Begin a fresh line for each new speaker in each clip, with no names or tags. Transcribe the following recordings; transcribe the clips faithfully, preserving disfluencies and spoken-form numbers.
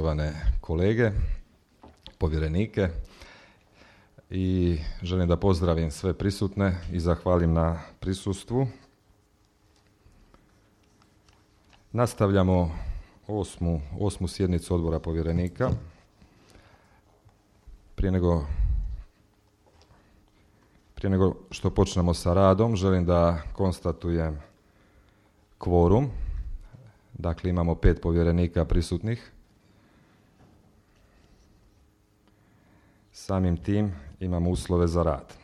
Poštovane kolege, povjerenike, i želim da pozdravim sve prisutne i zahvalim na prisustvu. Nastavljamo osmu, osmu sjednicu odbora povjerenika. Prije nego, prije nego što počnemo sa radom, želim da konstatujem kvorum. Dakle, imamo pet povjerenika prisutnih. Samim tim imamo uslove za rad.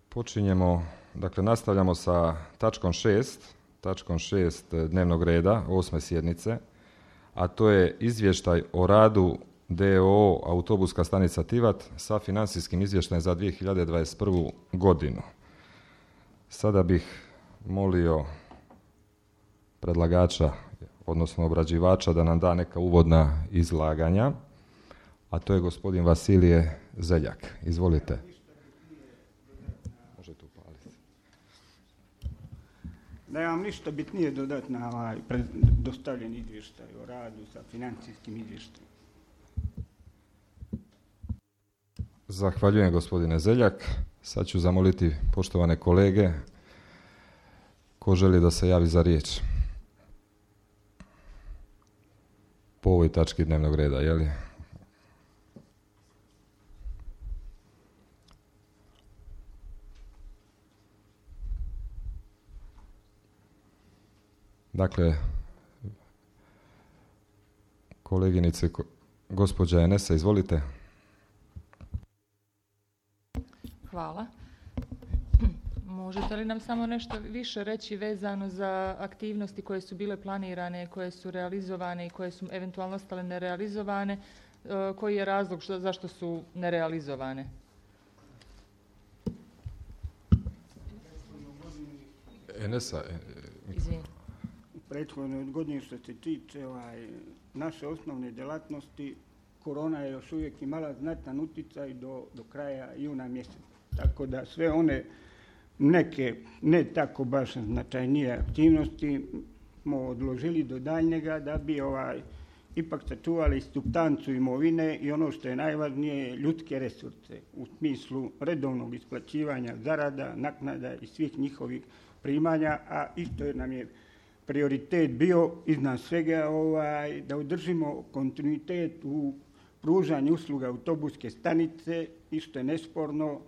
Počinjemo, dakle nastavljamo sa tačkom šest, tačkom šest dnevnog reda osme sjednice, a to je izvještaj o radu d o o Autobuska stanica Tivat sa financijskim izvještajem za dvije hiljade dvadeset prvu godinu. Sada bih molio predlagača, odnosno obrađivača, da nam da neka uvodna izlaganja, a to je gospodin Vasilije Zeljak. Izvolite. Možete upaliti.
Nemam ništa bitnije dodati na ovaj dostavljen izvještaj o radu sa financijskim izvještajem.
Zahvaljujem, gospodine Zeljak. Sad ću zamoliti poštovane kolege ko želi da se javi za riječ po ovoj tački dnevnog reda, je li? Dakle, koleginice, gospođa Enesa, izvolite.
Hvala. Možete li nam samo nešto više reći vezano za aktivnosti koje su bile planirane, koje su realizovane i koje su eventualno ostale nerealizovane? Koji je razlog što, zašto su nerealizovane?
Enesa.
Izvini.
U prethodnoj godini što se tiče ovaj, naše osnovne djelatnosti, korona je još uvijek imala znatan utjecaj do, do kraja juna mjeseca. Tako da sve one neke ne tako baš značajnije aktivnosti smo odložili do daljnjega da bi ovaj, ipak sačuvali supstancu imovine i ono što je najvažnije, ljudske resurse u smislu redovnog isplaćivanja zarada, naknada i svih njihovih primanja, a isto je nam je prioritet bio iznad svega ovaj, da održimo kontinuitet u pružanju usluga autobuske stanice i što je nesporno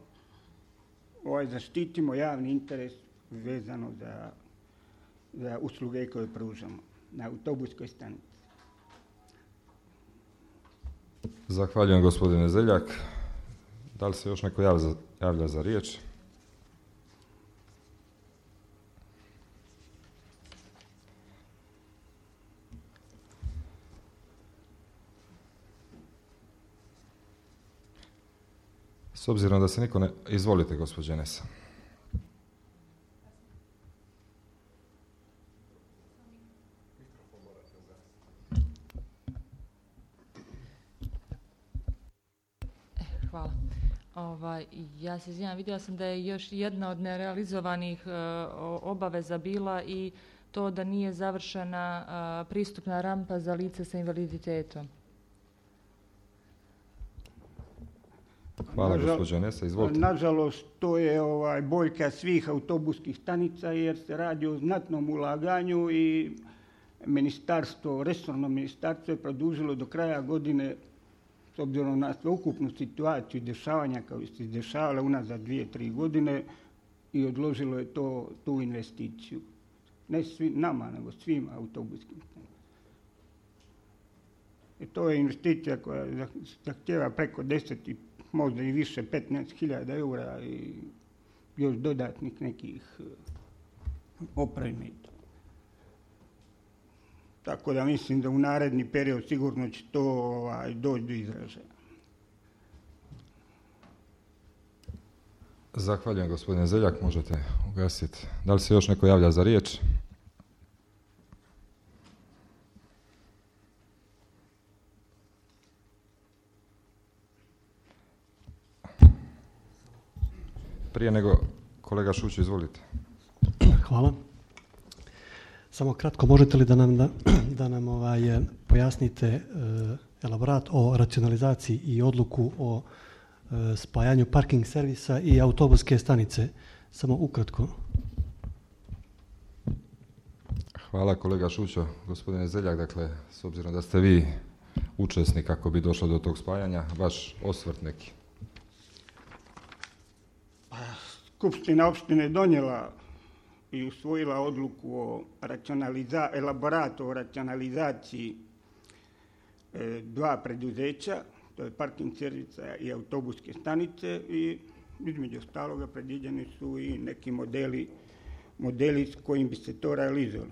ovaj, zaštitimo javni interes vezano za, za usluge koje pružamo na autobuskoj stanici.
Zahvaljujem, gospodine Zeljak. Da li se još neko javlja za, javlja za riječ? S obzirom da se niko ne... Izvolite, gospođe Enesa.
Hvala. Ovaj, ja se izvinjam, vidjela sam da je još jedna od nerealizovanih uh, obaveza bila i to da nije završena uh, pristupna rampa za lice sa invaliditetom.
Hvala, gospođo Enesa, izvolite.
Nažalost, to je ovaj, boljka svih autobuskih stanica jer se radi o znatnom ulaganju i ministarstvo, resorno ministarstvo je produžilo do kraja godine, s obzirom na sveukupnu situaciju i dešavanja kao se dešavala unazad dvije, tri godine, i odložilo je to, tu investiciju. Ne svi, nama, nego svim autobuskim stanicama. I to je investicija koja zahtjeva preko deset i možda i više, petnaest hiljada eura i još dodatnih nekih opremi. Tako da mislim da u naredni period sigurno će to ovaj, doći do izražaja.
Zahvaljujem, gospodine Zeljak, možete ugasiti. Da li se još neko javlja za riječ? Prije nego, kolega Šuć, izvolite.
Hvala. Samo kratko, možete li da nam, da, da nam ovaj, pojasnite e, elaborat o racionalizaciji i odluku o e, spajanju parking servisa i autobuske stanice? Samo ukratko.
Hvala kolega Šućo. Gospodine Zeljak, dakle, s obzirom da ste vi učesnik kako bi došlo do tog spajanja, vaš osvrt neki.
Skupština opštine je donijela i usvojila odluku o racionaliza, elaboratu o racionalizaciji e, dva preduzeća, to je parking servisa i autobuske stanice, i između ostaloga predviđeni su i neki modeli, modeli s kojim bi se to realizovalo.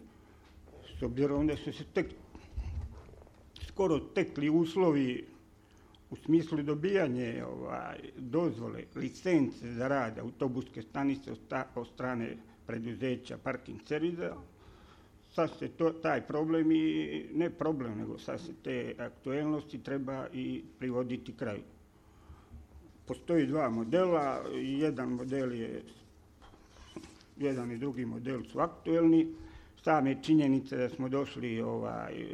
S obzirom da su se tek, skoro tekli uslovi u smislu dobijanje ovaj, dozvole, licence za rad autobuske stanice od strane preduzeća parking servisa, sad se to, taj problem i, ne problem, nego sad se te aktuelnosti treba i privoditi kraju. Postoji dva modela, jedan model je, jedan i drugi model su aktuelni. Same činjenice da smo došli ovaj,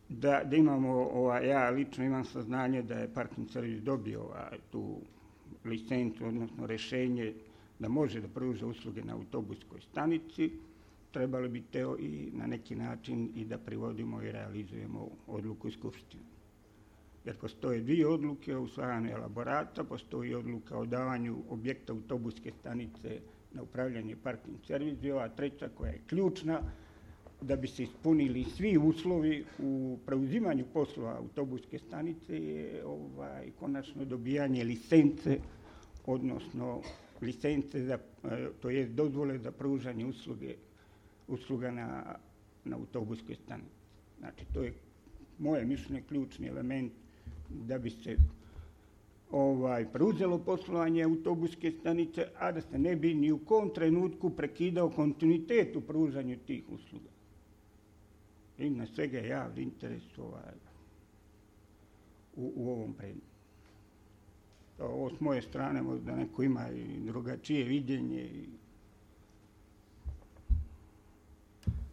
da, da imamo, ovaj, ja lično imam saznanje da je parking servis dobio ovaj, tu licencu, odnosno rješenje da može da pruža usluge na autobuskoj stanici, trebali bi teo i na neki način i da privodimo i realizujemo odluku Skupštine. Jer postoje dvije odluke o usvajanju elaborata, postoji odluka o davanju objekta autobuske stanice na upravljanje parking servisa i ova treća koja je ključna da bi se ispunili svi uslovi u preuzimanju poslova autobuske stanice je ovaj, konačno dobijanje licence, odnosno licence, za, to je dozvole za pružanje usluge, usluga na, na autobuskoj stanici. Znači, to je moje mišljenje ključni element da bi se ovaj, preuzelo poslovanje autobuske stanice, a da se ne bi ni u kom trenutku prekidao kontinuitet u pružanju tih usluga. I na svega je javni interes ovaj, u, u ovom predmetu. Ovo s moje strane možda neko ima i drugačije viđenje. I...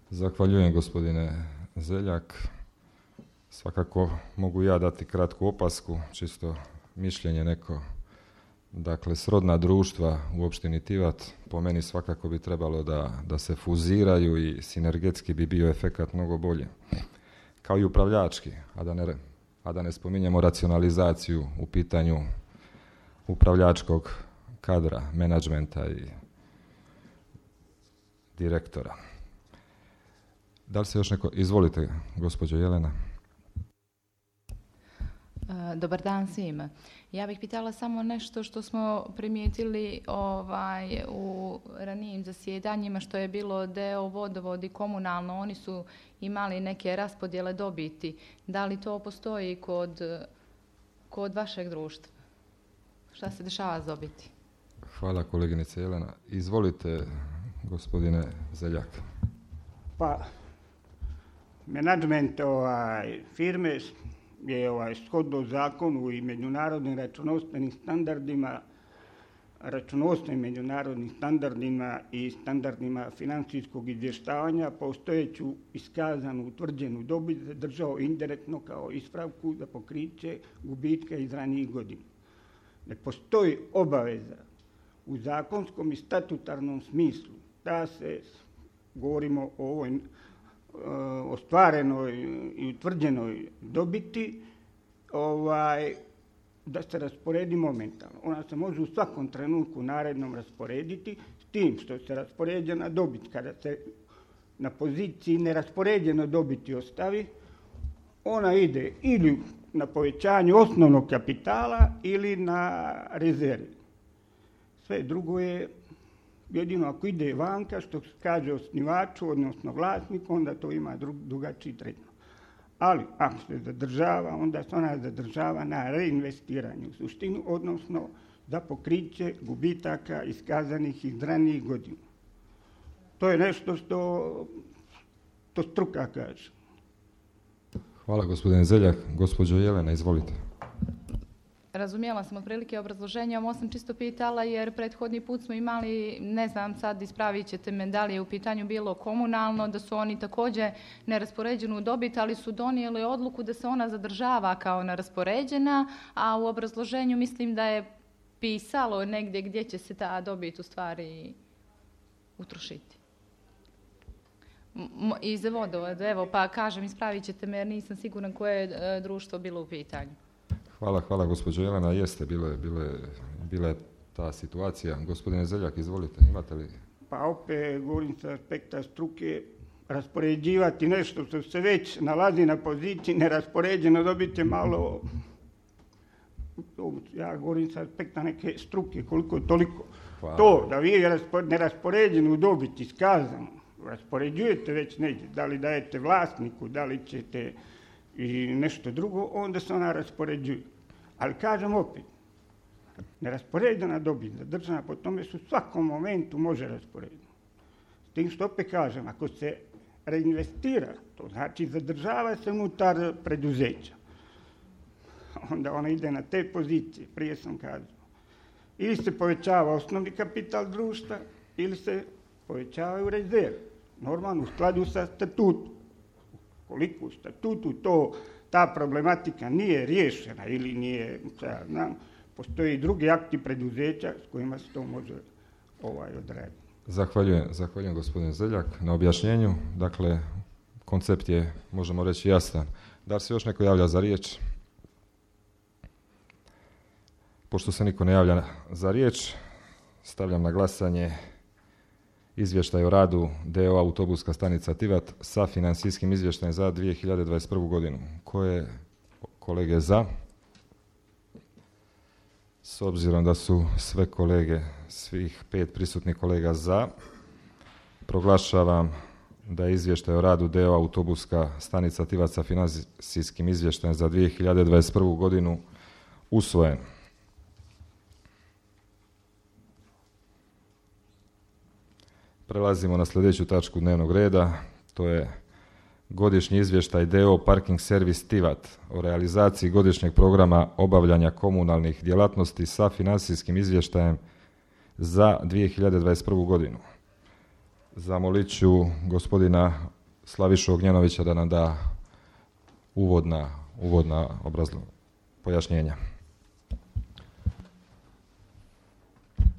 Zahvaljujem gospodine Zeljak. Svakako mogu ja dati kratku opasku, čisto mišljenje neko. Dakle, srodna društva u opštini Tivat po meni svakako bi trebalo da, da se fuziraju i sinergetski bi bio efekat mnogo bolje. Kao i upravljački, a da ne, a da ne spominjemo racionalizaciju u pitanju upravljačkog kadra, menadžmenta i direktora. Da li se još neko... Izvolite, gospođo Jelena.
Dobar dan svima. Ja bih pitala samo nešto što smo primijetili ovaj, u ranijim zasjedanjima, što je bilo deo vodovod i komunalno. Oni su imali neke raspodjele dobiti. Da li to postoji kod, kod vašeg društva? Šta se dešava s dobiti?
Hvala koleginice Jelena. Izvolite, gospodine Zeljak.
Pa, menadžment ovaj, firme je ovaj, shodno zakonu i međunarodnim računovodstvenim standardima, računovodstvenim međunarodnim standardima i standardima financijskog izvještavanja postojeću iskazanu utvrđenu dobit zadržao indirektno kao ispravku za pokriće gubitka iz ranijih godina. Ne postoji obaveza u zakonskom i statutarnom smislu da se, govorimo o ovoj ostvarenoj i utvrđenoj dobiti, ovaj, da se rasporedi momentalno. Ona se može u svakom trenutku narednom rasporediti, s tim što se raspoređena dobit, kada se na poziciji neraspoređeno dobiti ostavi, ona ide ili na povećanju osnovnog kapitala ili na rezervi. Sve drugo je jedino ako ide vanka, što kaže osnivaču, odnosno vlasniku, onda to ima drugačiji tretman. Ali ako se zadržava, onda se ona zadržava na reinvestiranju u suštinu, odnosno za pokriće gubitaka iskazanih iz ranijih godina. To je nešto što to struka kaže.
Hvala gospodine Zeljak. Gospođo Jelena, izvolite.
razumjela sam otprilike obrazloženje, ovo sam čisto pitala jer prethodni put smo imali, ne znam sad ispravit ćete me da li je u pitanju bilo komunalno, da su oni također neraspoređenu dobit, ali su donijeli odluku da se ona zadržava kao neraspoređena, a u obrazloženju mislim da je pisalo negdje gdje će se ta dobit u stvari utrošiti. I za vodovod, evo pa kažem ispravit ćete me jer nisam siguran koje je društvo bilo u pitanju.
Hvala, hvala gospođo Jelena, jeste, bilo je, bilo je, bila je ta situacija. Gospodine Zeljak, izvolite, imate li?
Pa opet govorim sa aspekta struke, raspoređivati nešto što se već nalazi na poziciji neraspoređeno, dobiti malo, ja govorim sa aspekta neke struke, koliko toliko. Hvala. To da vi neraspoređenu dobit iskazano, raspoređujete već negdje, da li dajete vlasniku, da li ćete i nešto drugo, onda se ona raspoređuje. Ali kažem opet, neraspoređena dobit zadržana po tome su u svakom momentu može rasporediti. S tim što opet kažem, ako se reinvestira, to znači zadržava se unutar preduzeća. Onda ona ide na te pozicije, prije sam kazao. Ili se povećava osnovni kapital društva, ili se povećavaju rezerve. Normalno u skladu sa statutom. Koliko u statutu to, ta problematika nije riješena ili nije, ja znam, postoje i drugi akti preduzeća s kojima se to može ovaj, odraditi.
Zahvaljujem, zahvaljujem gospodine Zeljak na objašnjenju. Dakle, koncept je, možemo reći, jasan. Da li se još neko javlja za riječ? Pošto se niko ne javlja za riječ, stavljam na glasanje izvještaj o radu D O Autobuska stanica Tivat sa financijskim izvještajem za dvije hiljade dvadeset prvu godinu. Koje kolege za? S obzirom da su sve kolege, svih pet prisutnih kolega za, proglašavam da je izvještaj o radu D O Autobuska stanica Tivat sa financijskim izvještajem za dvije hiljade dvadeset prvu godinu usvojen. Prelazimo na sljedeću tačku dnevnog reda, to je godišnji izvještaj D O Parking Servis Tivat o realizaciji godišnjeg programa obavljanja komunalnih djelatnosti sa financijskim izvještajem za dvije hiljade dvadeset prvu godinu. Zamolit ću gospodina Slavišu Ognjanovića da nam da uvodna, uvodna obrazlo, pojašnjenja.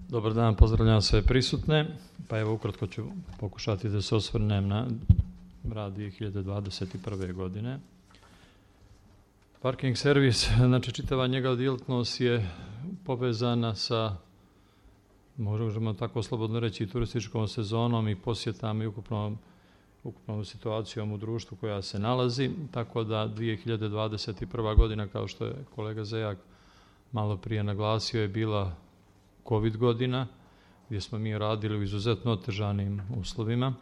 Dobar dan, pozdravljam sve prisutne. Pa evo ukratko ću pokušati da se osvrnem na rad dvije hiljade dvadeset prve godine. Parking servis, znači čitava njega djelatnost je povezana sa, možemo tako slobodno reći, turističkom sezonom i posjetama i ukupnom, ukupnom situacijom u društvu koja se nalazi, tako da dvije hiljade dvadeset prva godina, kao što je kolega Zejak malo prije naglasio, je bila COVID godina, gdje smo mi radili u izuzetno otežanim uslovima.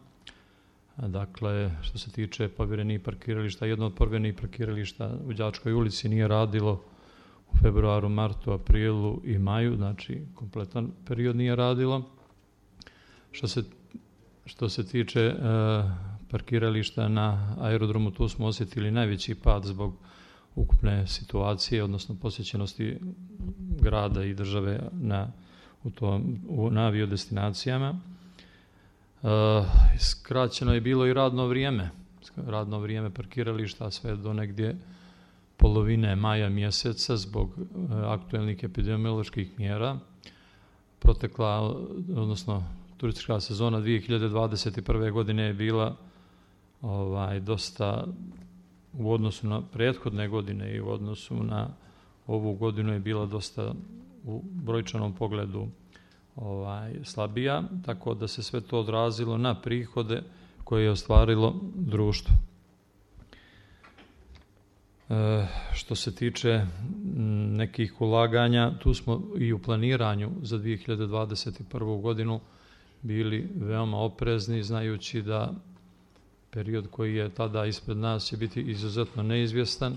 Dakle, što se tiče povjerenih parkirališta, jedno od povjerenih parkirališta u Đačkoj ulici nije radilo u februaru, martu, aprilu i maju, znači kompletan period nije radilo. Što se, što se tiče e, parkirališta na aerodromu, tu smo osjetili najveći pad zbog ukupne situacije, odnosno posjećenosti grada i države na u tom, u, na aviodestinacijama. E, skraćeno je bilo i radno vrijeme. Radno vrijeme parkirališta sve do negdje polovine maja mjeseca zbog e, aktuelnih epidemioloških mjera. Protekla, odnosno turistička sezona dvije hiljade dvadeset prve godine je bila ovaj, dosta u odnosu na prethodne godine i u odnosu na ovu godinu je bila dosta u brojčanom pogledu ovaj, slabija, tako da se sve to odrazilo na prihode koje je ostvarilo društvo. E, što se tiče nekih ulaganja, tu smo i u planiranju za dvije hiljade dvadeset prvu godinu bili veoma oprezni, znajući da period koji je tada ispred nas će biti izuzetno neizvjestan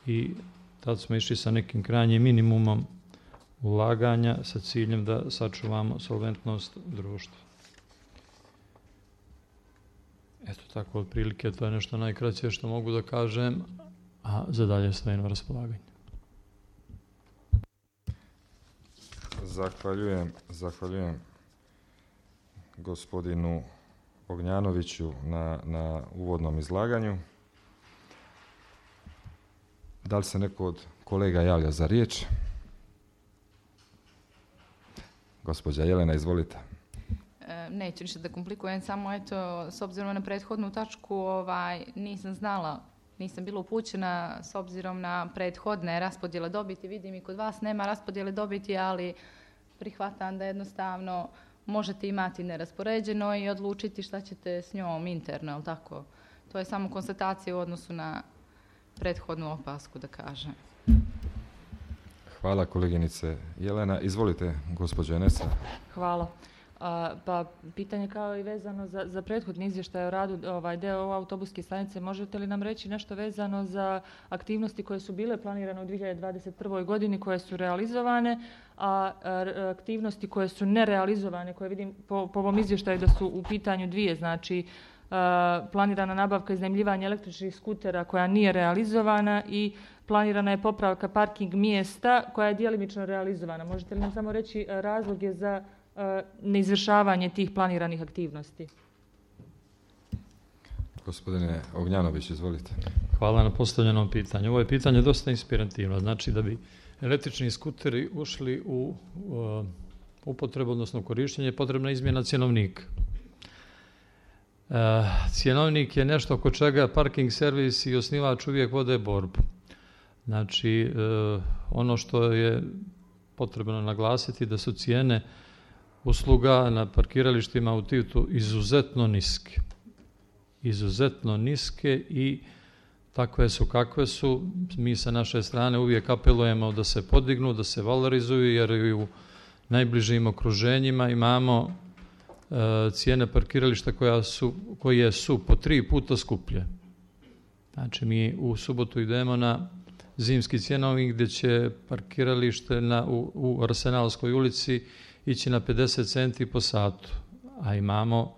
i tad smo išli sa nekim krajnjim minimumom ulaganja sa ciljem da sačuvamo solventnost društva. Eto tako, otprilike to je nešto najkraće što mogu da kažem, a za dalje stojim na raspolaganju.
Zahvaljujem, zahvaljujem gospodinu Ognjanoviću na, na uvodnom izlaganju. Da li se neko od kolega javlja za riječ? Gospođa Jelena, izvolite.
E, neću ništa da komplikujem, samo eto, s obzirom na prethodnu tačku, ovaj, nisam znala, nisam bila upućena s obzirom na prethodne raspodjele dobiti. Vidim i kod vas nema raspodjele dobiti, ali prihvatam da jednostavno možete imati neraspoređeno i odlučiti šta ćete s njom interno, ali tako? To je samo konstatacija u odnosu na prethodnu opasku, da kažem.
Hvala koleginice Jelena. Izvolite, gospođo Enesa.
Hvala. A, pa pitanje kao i vezano za, za prethodni izvještaj o radu ovaj, D O O autobuske stanice. Možete li nam reći nešto vezano za aktivnosti koje su bile planirane u dvije hiljade dvadeset prvoj godini, koje su realizovane, a, a aktivnosti koje su nerealizovane, koje vidim po, po ovom izvještaju da su u pitanju dvije, znači a, planirana nabavka i iznajmljivanje električnih skutera koja nije realizovana i planirana je popravka parking mjesta koja je djelimično realizovana. Možete li nam samo reći razloge za neizvršavanje tih planiranih aktivnosti?
Gospodine Ognjanović, izvolite.
Hvala na postavljenom pitanju. Ovo je pitanje dosta inspirativno. Znači da bi električni skuteri ušli u uh, upotrebu, odnosno korištenje, potrebna izmjena cjenovnika. Uh, cjenovnik je nešto oko čega parking servis i osnivač uvijek vode borbu. Znači, uh, ono što je potrebno naglasiti da su cijene usluga na parkiralištima u Titu izuzetno niske. Izuzetno niske i takve su kakve su. Mi sa naše strane uvijek apelujemo da se podignu, da se valorizuju, jer i u najbližim okruženjima imamo e, cijene parkirališta koja su, koje su po tri puta skuplje. Znači mi u subotu idemo na zimski cjenovnik gdje će parkiralište na, u, u Arsenalskoj ulici ići na pedeset centi po satu, a imamo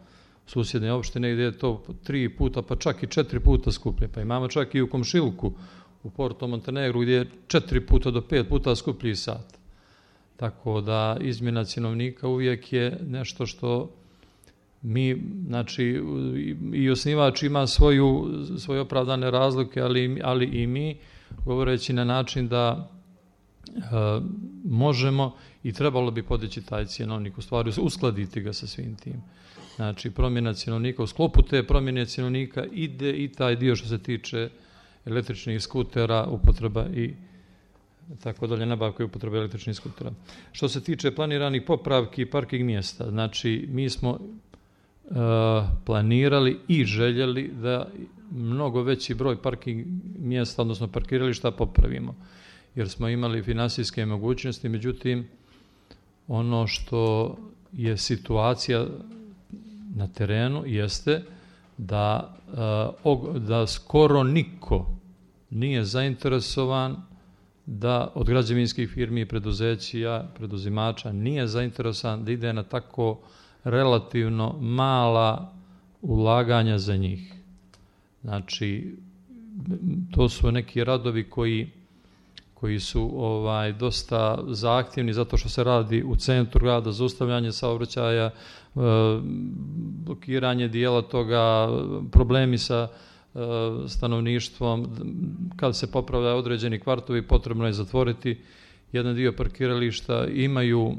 susjedne opštine gdje je to tri puta, pa čak i četiri puta skuplje. Pa imamo čak i u Komšiluku, u Porto Montenegru, gdje je četiri puta do pet puta skuplji sat. Tako da izmjena cjenovnika uvijek je nešto što mi, znači, i osnivač ima svoju, svoje opravdane razlike, ali, ali i mi, govoreći na način da e, možemo i trebalo bi podići taj cjenovnik, u stvari uskladiti ga sa svim tim. Znači, promjena cjenovnika, u sklopu te promjene cjenovnika ide i taj dio što se tiče električnih skutera, upotreba i tako dalje, nabavka i upotreba električnih skutera. Što se tiče planiranih popravki parking mjesta, znači, mi smo uh, planirali i željeli da mnogo veći broj parking mjesta, odnosno parkirališta, popravimo, jer smo imali finansijske mogućnosti, međutim, ono što je situacija na terenu jeste da, da skoro niko nije zainteresovan da od građevinskih firmi i preduzeća, preduzimača nije zainteresovan da ide na tako relativno mala ulaganja za njih. Znači, to su neki radovi koji koji su ovaj dosta zahtjevni zato što se radi u centru grada, zaustavljanje saobraćaja, e, blokiranje dijela toga, problemi sa e, stanovništvom. Kad se popravljaju određeni kvartovi, potrebno je zatvoriti jedan dio parkirališta. Imaju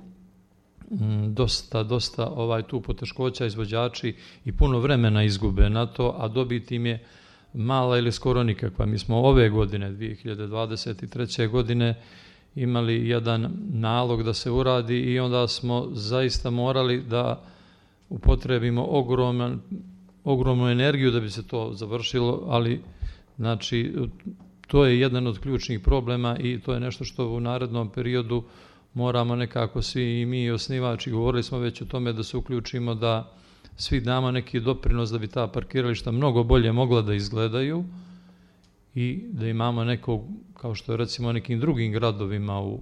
m, dosta, dosta ovaj tu poteškoća izvođači i puno vremena izgube na to, a dobiti im je mala ili skoro nikakva. Mi smo ove godine, dvije hiljade dvadeset treće godine, imali jedan nalog da se uradi i onda smo zaista morali da upotrebimo ogroman, ogromnu energiju da bi se to završilo, ali znači, to je jedan od ključnih problema i to je nešto što u narednom periodu moramo nekako svi i mi i osnivači, govorili smo već o tome da se uključimo, da svi damo neki doprinos da bi ta parkirališta mnogo bolje mogla da izgledaju i da imamo nekog, kao što je recimo nekim drugim gradovima u,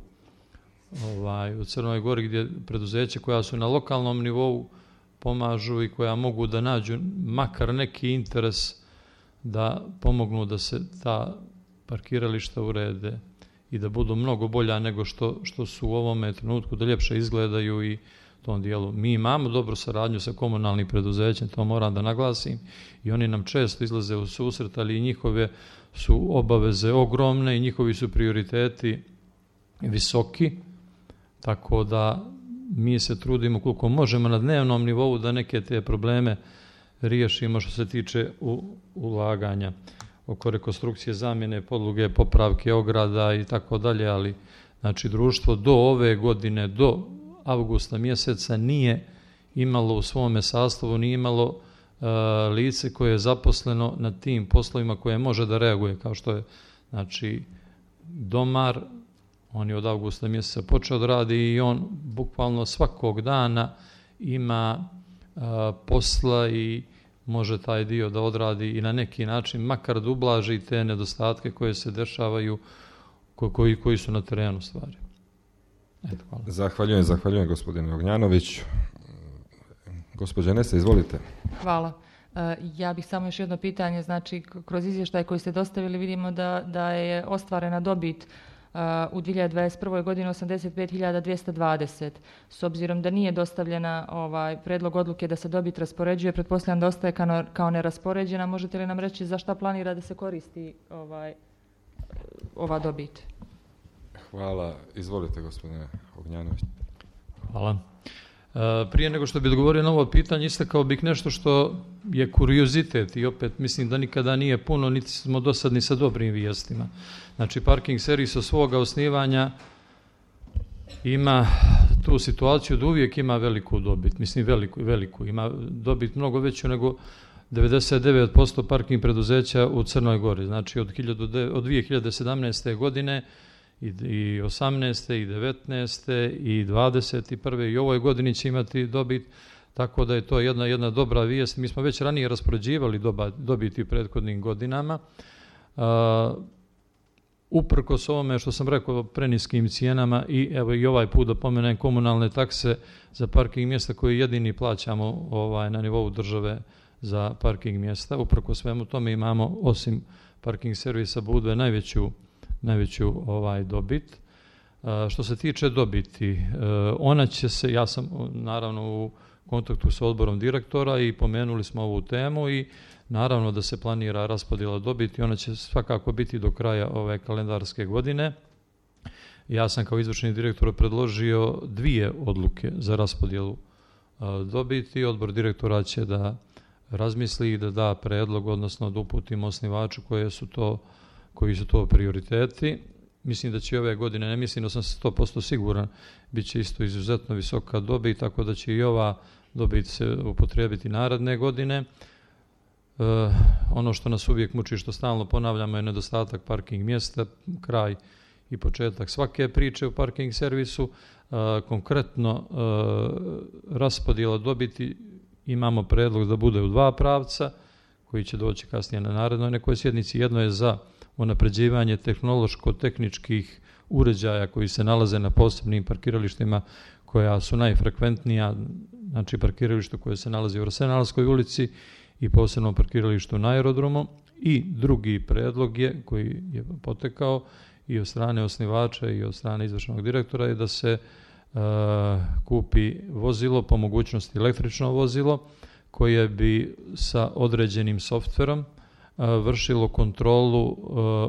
ovaj, u Crnoj Gori, gdje preduzeće koja su na lokalnom nivou pomažu i koja mogu da nađu makar neki interes da pomognu da se ta parkirališta urede. i da budu mnogo bolja nego što, što su u ovome trenutku, da ljepše izgledaju i tom dijelu. Mi imamo dobru saradnju sa komunalnim preduzećem, to moram da naglasim, i oni nam često izlaze u susret, ali i njihove su obaveze ogromne i njihovi su prioriteti visoki, tako da mi se trudimo koliko možemo na dnevnom nivou da neke te probleme riješimo što se tiče u, ulaganja oko rekonstrukcije, zamjene podloge, popravke ograda i tako dalje, ali znači društvo do ove godine, do avgusta mjeseca nije imalo u svome sastavu, nije imalo uh, lice koje je zaposleno na tim poslovima koje može da reaguje, kao što je znači domar, on je od avgusta mjeseca počeo da radi i on bukvalno svakog dana ima uh, posla i može taj dio da odradi i na neki način, makar da ublaži te nedostatke koje se dešavaju, ko, koji, koji su na terenu stvari. Eto, hvala.
Zahvaljujem, zahvaljujem gospodine Ognjanović. Gospođa Nese, izvolite.
Hvala. Ja bih samo još jedno pitanje, znači kroz izvještaj koji ste dostavili vidimo da, da je ostvarena dobit u dvije hiljade dvadeset prvoj godini osamdeset pet hiljada dvjesto dvadeset. S obzirom da nije dostavljena ovaj predlog odluke da se dobit raspoređuje, pretpostavljam da ostaje kao, kao neraspoređena. Možete li nam reći za šta planira da se koristi ovaj, ova dobit?
Hvala. Izvolite, gospodine Ognjanović.
Hvala. E, prije nego što bi odgovorio na ovo pitanje, istakao bih nešto što je kuriozitet i opet mislim da nikada nije puno, niti smo dosadni sa dobrim vijestima. Znači, parking servis od svoga osnivanja ima tu situaciju da uvijek ima veliku dobit, mislim veliku, veliku, ima dobit mnogo veću nego devedeset devet posto parking preduzeća u Crnoj Gori. Znači, od, od dvije hiljade sedamnaeste. godine i osamnaeste. i devetnaeste. i dvadeset prve. i ovoj godini će imati dobit, tako da je to jedna, jedna dobra vijest. Mi smo već ranije raspoređivali doba, dobiti u prethodnim godinama. Uh, uprkos ovome što sam rekao preniskim cijenama i evo i ovaj put da pomenem komunalne takse za parking mjesta koje jedini plaćamo ovaj, na nivou države za parking mjesta. Uprkos svemu tome imamo osim parking servisa Budve najveću najveću ovaj dobit. E, što se tiče dobiti, e, ona će se, ja sam naravno u kontaktu sa odborom direktora i pomenuli smo ovu temu i naravno da se planira raspodjela dobiti, ona će svakako biti do kraja ove kalendarske godine. Ja sam kao izvršni direktor predložio dvije odluke za raspodjelu e, dobiti. Odbor direktora će da razmisli i da da predlog, odnosno da uputimo osnivaču koje su to koji su to prioriteti. Mislim da će ove godine, ne mislim da sam sto posto siguran, bit će isto izuzetno visoka dobit, tako da će i ova dobit se upotrijebiti naredne godine. E, ono što nas uvijek muči, što stalno ponavljamo, je nedostatak parking mjesta, kraj i početak svake priče u parking servisu. E, konkretno, e, raspodjela dobiti imamo predlog da bude u dva pravca, koji će doći kasnije na narednoj nekoj sjednici. Jedno je za unapređivanje tehnološko-tehničkih uređaja koji se nalaze na posebnim parkiralištima koja su najfrekventnija, znači parkiralištu koje se nalazi u Arsenalskoj ulici i posebnom parkiralištu na aerodromu. I drugi predlog je, koji je potekao i od strane osnivača i od strane izvršnog direktora, je da se uh, kupi vozilo, po mogućnosti električno vozilo, koje bi sa određenim softverom vršilo kontrolu uh,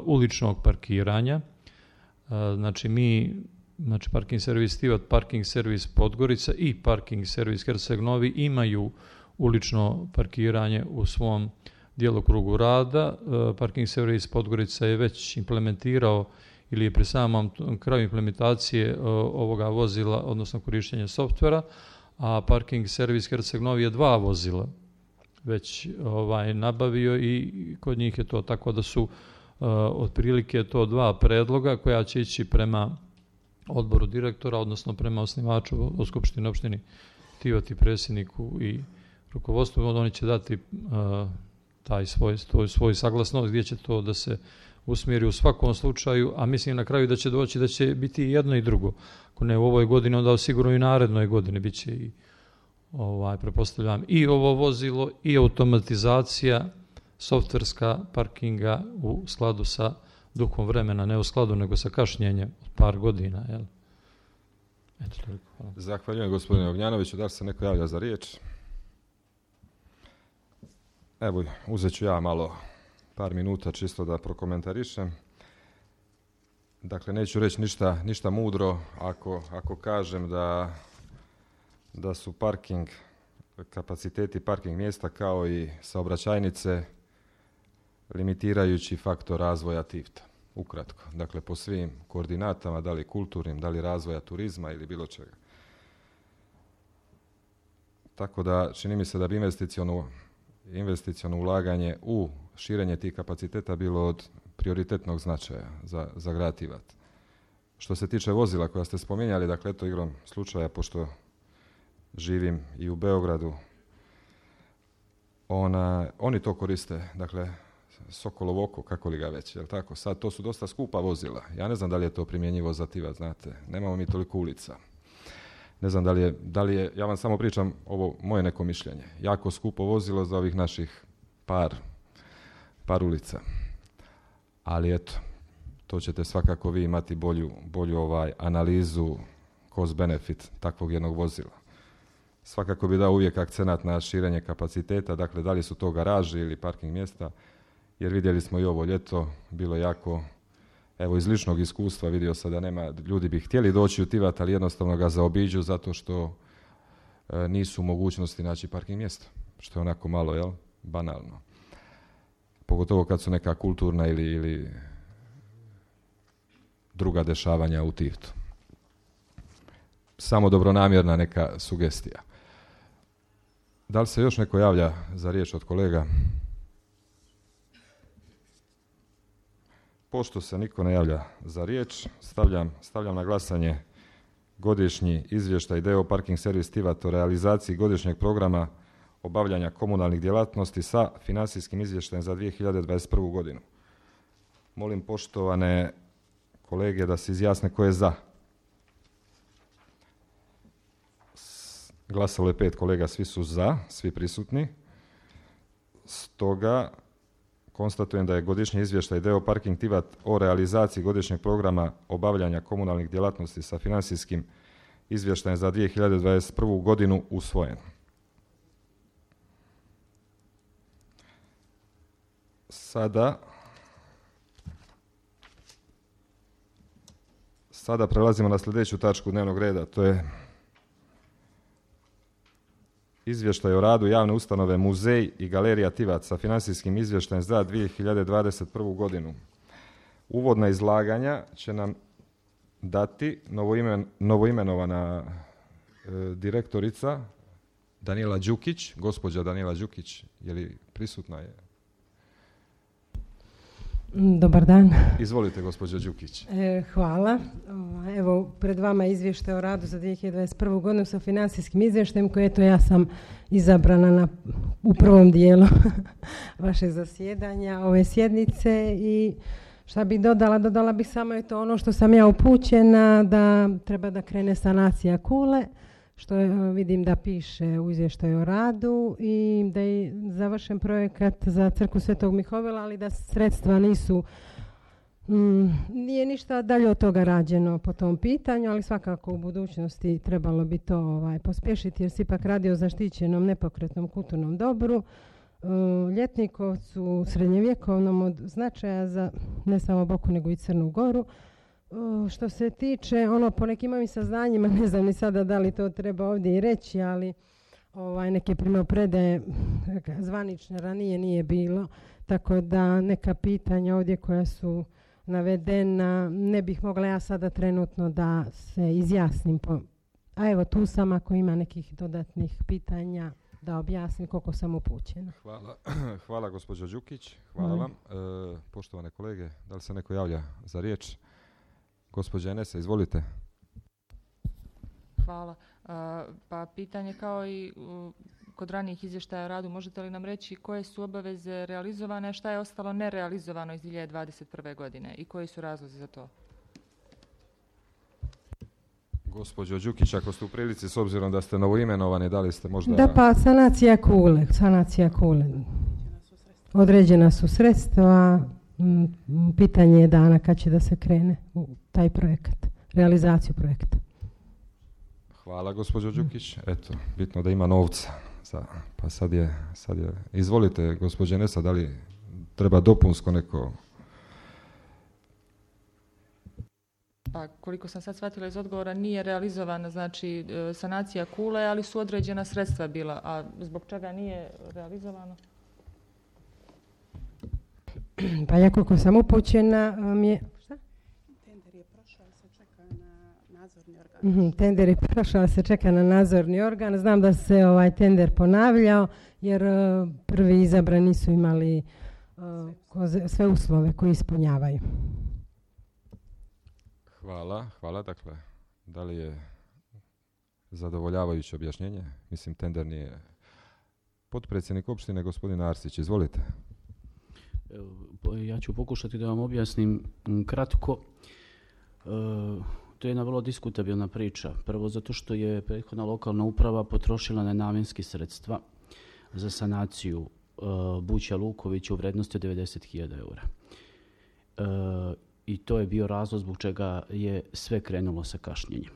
uličnog parkiranja. Uh, znači mi, znači parking servis Tivat, parking servis Podgorica i parking servis Herceg Novi imaju ulično parkiranje u svom djelokrugu rada. Uh, parking servis Podgorica je već implementirao ili je pri samom kraju implementacije uh, ovoga vozila, odnosno korištenja softvera, a parking servis Herceg Novi je dva vozila već ovaj, nabavio i kod njih je to tako da su uh, otprilike to dva predloga koja će ići prema odboru direktora, odnosno prema osnivaču o Skupštini opštini Tivat i predsjedniku i rukovodstvu. Oni će dati uh, taj svoj, svoj, svoj saglasnost gdje će to da se usmjeri u svakom slučaju, a mislim na kraju da će doći da će biti jedno i drugo. Ako ne u ovoj godini, onda sigurno i narednoj godini bit će i ovaj, prepostavljam i ovo vozilo i automatizacija softverska parkinga u skladu sa duhom vremena, ne u skladu, nego sa kašnjenjem od par godina. Jel? Eto, toliko. Hvala.
Zahvaljujem gospodine Ognjanoviću. Da li se neko javlja za riječ? Evo, uzet ću ja malo par minuta čisto da prokomentarišem. Dakle, neću reći ništa, ništa mudro ako, ako kažem da, da su parking, kapaciteti parking mjesta kao i saobraćajnice limitirajući faktor razvoja Tivta. Ukratko. Dakle, po svim koordinatama, da li kulturnim, da li razvoja turizma ili bilo čega. Tako da čini mi se da bi investiciono, investiciono ulaganje u širenje tih kapaciteta bilo od prioritetnog značaja za, za grad Tivat. Što se tiče vozila koja ste spominjali, dakle, eto igrom slučaja, pošto živim i u Beogradu, ona, oni to koriste, dakle, Sokolovo oko, kako li ga već, jel tako? Sad to su dosta skupa vozila. Ja ne znam da li je to primjenjivo za Tivat, znate. Nemamo mi toliko ulica. Ne znam da li je, da li je, ja vam samo pričam ovo moje neko mišljenje. Jako skupo vozilo za ovih naših par, par ulica. Ali eto, to ćete svakako vi imati bolju, bolju ovaj analizu cost benefit takvog jednog vozila. Svakako bi dao uvijek akcenat na širenje kapaciteta, dakle da li su to garaži ili parking mjesta, jer vidjeli smo i ovo ljeto, bilo jako, evo iz ličnog iskustva vidio sam da nema, ljudi bi htjeli doći u Tivat, ali jednostavno ga zaobiđu zato što e, nisu u mogućnosti naći parking mjesto, što je onako malo, jel, banalno. Pogotovo kad su neka kulturna ili, ili druga dešavanja u Tivtu. Samo dobronamjerna neka sugestija. Da li se još neko javlja za riječ od kolega? Pošto se niko ne javlja za riječ, stavljam, stavljam na glasanje godišnji izvještaj D O Parking Servis Tivat o realizaciji godišnjeg programa obavljanja komunalnih djelatnosti sa financijskim izvještajem za dvije hiljade dvadeset prvu godinu. Molim poštovane kolege da se izjasne ko je za. Glasalo je pet kolega, svi su za, svi prisutni. Stoga konstatujem da je godišnji izvještaj D O Parking Tivat o realizaciji godišnjeg programa obavljanja komunalnih djelatnosti sa financijskim izvještajem za dvije hiljade dvadeset prvu godinu usvojen. Sada, sada prelazimo na sljedeću tačku dnevnog reda, to je izvještaj o radu javne ustanove Muzej i galerija Tivat sa financijskim izvještajem za dvije hiljade dvadeset prvu godinu. Uvodna izlaganja će nam dati novoimen, novoimenovana e, direktorica Danijela Đukić. Gospođa Danijela Đukić, je li prisutna je?
Dobar dan.
Izvolite, gospođo Đukić.
E, hvala. Evo, pred vama je izvještaj o radu za dvije hiljade dvadeset prvu godinu sa financijskim izvještajem koje eto ja sam izabrana na, u prvom dijelu vašeg zasjedanja, ove sjednice i šta bih dodala? Dodala bih samo eto ono što sam ja upućena da treba da krene sanacija kule, što je, vidim da piše u izvještaju o radu i da je završen projekat za crkvu Svetog Mihovila, ali da sredstva nisu, mm, nije ništa dalje od toga rađeno po tom pitanju, ali svakako u budućnosti trebalo bi to ovaj, pospješiti jer se ipak radi o zaštićenom nepokretnom kulturnom dobru, uh, Ljetnikovcu, srednjevjekovnom od značaja za ne samo Boku nego i Crnu Goru. Uh, što se tiče, ono po nekim mojim saznanjima, ne znam ni sada da li to treba ovdje i reći, ali ovaj, neke primopredaje zvanične ranije nije bilo, tako da neka pitanja ovdje koja su navedena ne bih mogla ja sada trenutno da se izjasnim. Po, a evo tu sam ako ima nekih dodatnih pitanja da objasnim koliko sam upućena.
Hvala, hvala gospođo Đukić, hvala vam. E, poštovane kolege, da li se neko javlja za riječ? Gospođa Enesa, izvolite.
Hvala. Uh, pa pitanje kao i uh, kod ranijih izvještaja o radu, možete li nam reći koje su obaveze realizovane, a šta je ostalo nerealizovano iz dvije hiljade dvadeset prve godine i koji su razlozi za to?
Gospođo Đukić, ako ste u prilici, s obzirom da ste novoimenovani, da li ste možda...
Da pa, sanacija kule, sanacija kule. Određena su sredstva, pitanje je dana kad će da se krene u taj projekat, realizaciju projekta.
Hvala gospođo Đukić. Eto, bitno da ima novca. Za, pa sad je, sad je. Izvolite gospođe Nesa, da li treba dopunsko neko?
Pa koliko sam sad shvatila iz odgovora, nije realizovana znači sanacija kule, ali su određena sredstva bila. A zbog čega nije realizovano?
Pa ja koliko sam upućena mi je... Šta?
Tender je prošao, se čeka na nadzorni organ.
Mm-hmm, tender je prošao, se čeka na nadzorni organ. Znam da se ovaj tender ponavljao, jer uh, prvi izabrani su imali uh, koze, sve uslove koje ispunjavaju.
Hvala, hvala. Dakle, da li je zadovoljavajuće objašnjenje? Mislim, tender nije. Potpredsjednik opštine, gospodin Arsić, izvolite.
Ja ću pokušati da vam objasnim kratko. E, to je jedna vrlo diskutabilna priča. Prvo zato što je prethodna lokalna uprava potrošila nenamjenski sredstva za sanaciju e, Buća Lukovića u vrednosti od devedeset hiljada eura. E, I to je bio razlog zbog čega je sve krenulo sa kašnjenjem.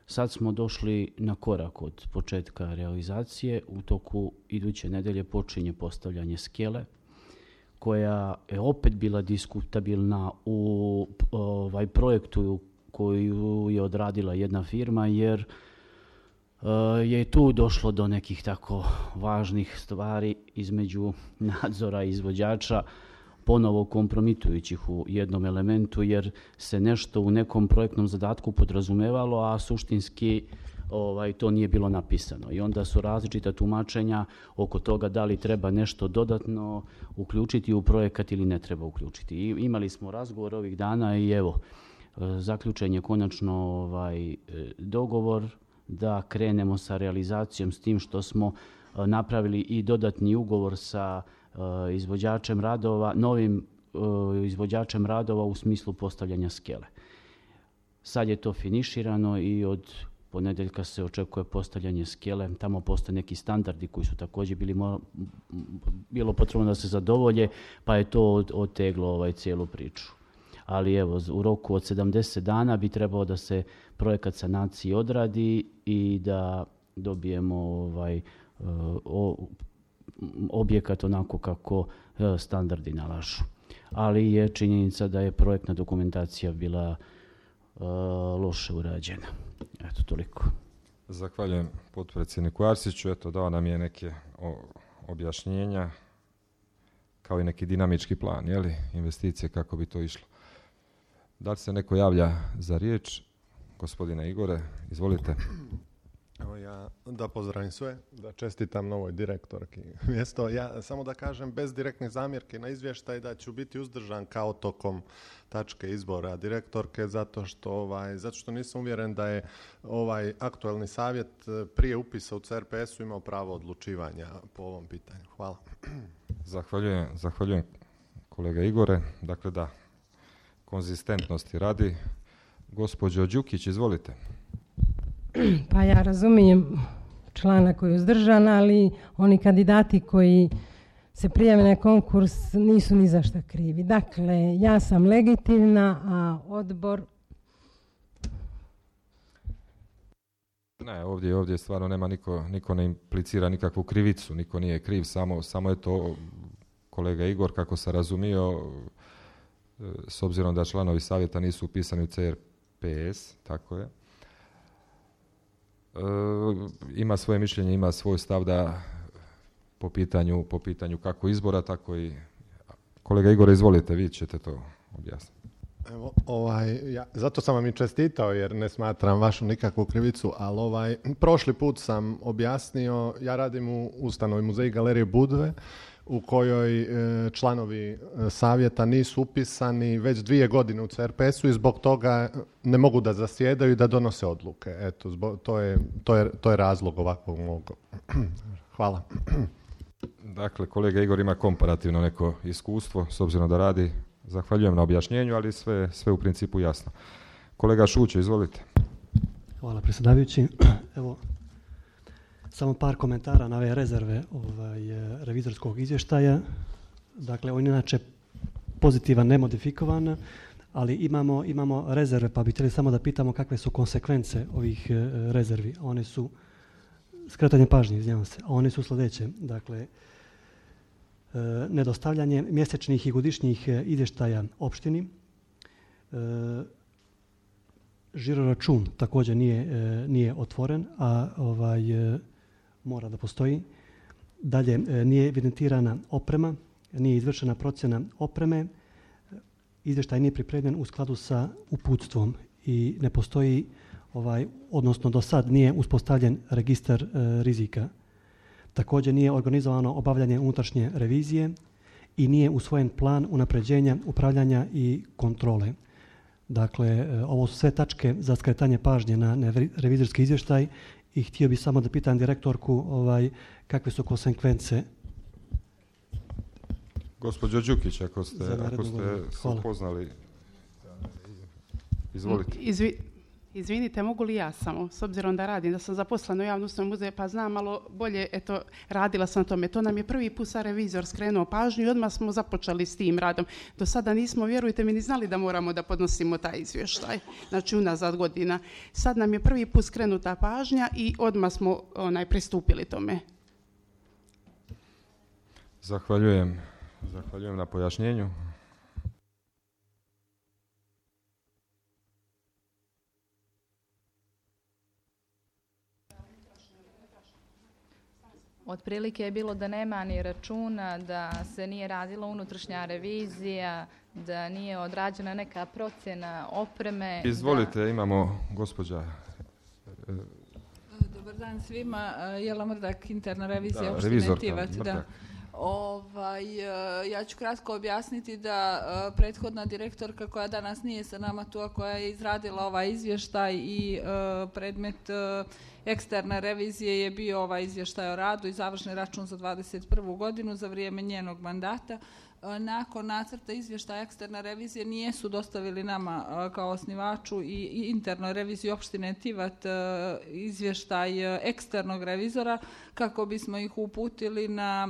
Sad smo došli na korak od početka realizacije. U toku iduće nedelje počinje postavljanje skele, koja je opet bila diskutabilna u ovaj projektu koju je odradila jedna firma, jer uh, je tu došlo do nekih tako važnih stvari između nadzora i izvođača, ponovo kompromitujućih u jednom elementu, jer se nešto u nekom projektnom zadatku podrazumevalo, a suštinski Ovaj, to nije bilo napisano. I onda su različita tumačenja oko toga da li treba nešto dodatno uključiti u projekat ili ne treba uključiti. I imali smo razgovor ovih dana i evo, zaključen je konačno ovaj, dogovor da krenemo sa realizacijom, s tim što smo napravili i dodatni ugovor sa izvođačem radova, novim izvođačem radova u smislu postavljanja skele. Sad je to finiširano i od ponedeljka se očekuje postavljanje skele. Tamo postoje neki standardi koji su također bili mo- bilo potrebno da se zadovolje, pa je to oteglo ovaj cijelu priču. Ali evo, u roku od sedamdeset dana bi trebao da se projekat sanacije odradi i da dobijemo ovaj, o, objekat onako kako standardi nalažu. Ali je činjenica da je projektna dokumentacija bila uh, loše urađena. Eto, toliko.
Zahvaljujem potpredsjedniku Arsiću. Eto, dao nam je neke o, objašnjenja, kao i neki dinamički plan, je li, investicije, kako bi to išlo. Da li se neko javlja za riječ? Gospodine Igore, izvolite.
Evo ja da pozdravim sve, da čestitam novoj direktorki mjesto. Ja samo da kažem, bez direktnih zamjerki na izvještaj, da ću biti uzdržan kao tokom tačke izbora direktorke, zato što ovaj, zato što nisam uvjeren da je ovaj aktualni savjet prije upisa u C R P S-u imao pravo odlučivanja po ovom pitanju. Hvala.
Zahvaljujem, zahvaljujem kolega Igore. Dakle da, konzistentnosti radi. Gospođo Đukić, izvolite.
Pa ja razumijem člana koji je uzdržan, ali oni kandidati koji se prijave na konkurs nisu ni za šta krivi. Dakle, ja sam legitimna, a odbor...
Ne, ovdje, ovdje stvarno nema niko, niko ne implicira nikakvu krivicu, niko nije kriv, samo, samo je to kolega Igor, kako se razumio, s obzirom da članovi savjeta nisu upisani u C R P S, tako je. E, ima svoje mišljenje, ima svoj stav da po pitanju, po pitanju kako izbora, tako i... Kolega Igor, izvolite, vi ćete to objasniti.
Evo, ovaj, ja, zato sam vam i čestitao, jer ne smatram vašu nikakvu krivicu, ali ovaj, prošli put sam objasnio, ja radim u ustanovi Muzeji galerije Budve, u kojoj e, članovi e, savjeta nisu upisani već dvije godine u C R P S-u i zbog toga ne mogu da zasjedaju i da donose odluke. Eto, zbog, to, je, to, je, to je razlog ovakvog mog. Hvala.
Dakle, kolega Igor ima komparativno neko iskustvo, s obzirom da radi. Zahvaljujem na objašnjenju, ali sve, sve u principu jasno. Kolega Šuće, izvolite.
Hvala predsjedavajući. Evo, samo par komentara na ove rezerve ovaj, revizorskog izvještaja. Dakle, on inače pozitivan, nemodifikovan, ali imamo, imamo rezerve, pa bi htjeli samo da pitamo kakve su konsekvence ovih e, rezervi. One su, skretanje pažnje, izvinjavam se, a one su sljedeće. Dakle, e, nedostavljanje mjesečnih i godišnjih izvještaja opštini, e, žiroračun također nije, e, nije otvoren, a ovaj, e, mora da postoji. Dalje, e, nije evidentirana oprema, nije izvršena procjena opreme, izvještaj nije pripremljen u skladu sa uputstvom i ne postoji, ovaj, odnosno do sad nije uspostavljen registar e, rizika. Također nije organizovano obavljanje unutrašnje revizije i nije usvojen plan unapređenja, upravljanja i kontrole. Dakle, e, ovo su sve tačke za skretanje pažnje na, na revizorski izvještaj i htio bih samo da pitam direktorku ovaj, kakve su konsekvence.
Gospođo Đukić, ako ste, ako ste se upoznali, izvolite.
Izvi, izvinite, mogu li ja samo, s obzirom da radim, da sam zaposlena u javnom muzeju, pa znam malo bolje, eto, radila sam na tome. To nam je prvi put sa revizor skrenuo pažnju i odmah smo započeli s tim radom. Do sada nismo, vjerujte mi, ni znali da moramo da podnosimo taj izvještaj, znači unazad godina. Sad nam je prvi put skrenuta pažnja i odmah smo onaj, pristupili tome.
Zahvaljujem. Zahvaljujem na pojašnjenju.
Otprilike je bilo da nema ni računa, da se nije radila unutrašnja revizija, da nije odrađena neka procjena opreme.
Izvolite,
da...
imamo gospođa.
Dobar dan svima. Jela Mrdak, interna revizija
da,
opštine Tivat. Da. Ovaj, ja ću kratko objasniti da prethodna direktorka koja danas nije sa nama tu, a koja je izradila ovaj izvještaj i predmet eksterne revizije je bio ovaj izvještaj o radu i završni račun za dvadeset prvu godinu za vrijeme njenog mandata. Nakon nacrta izvještaja eksterne revizije nijesu dostavili nama kao osnivaču i internoj reviziji opštine Tivat izvještaj eksternog revizora kako bismo ih uputili na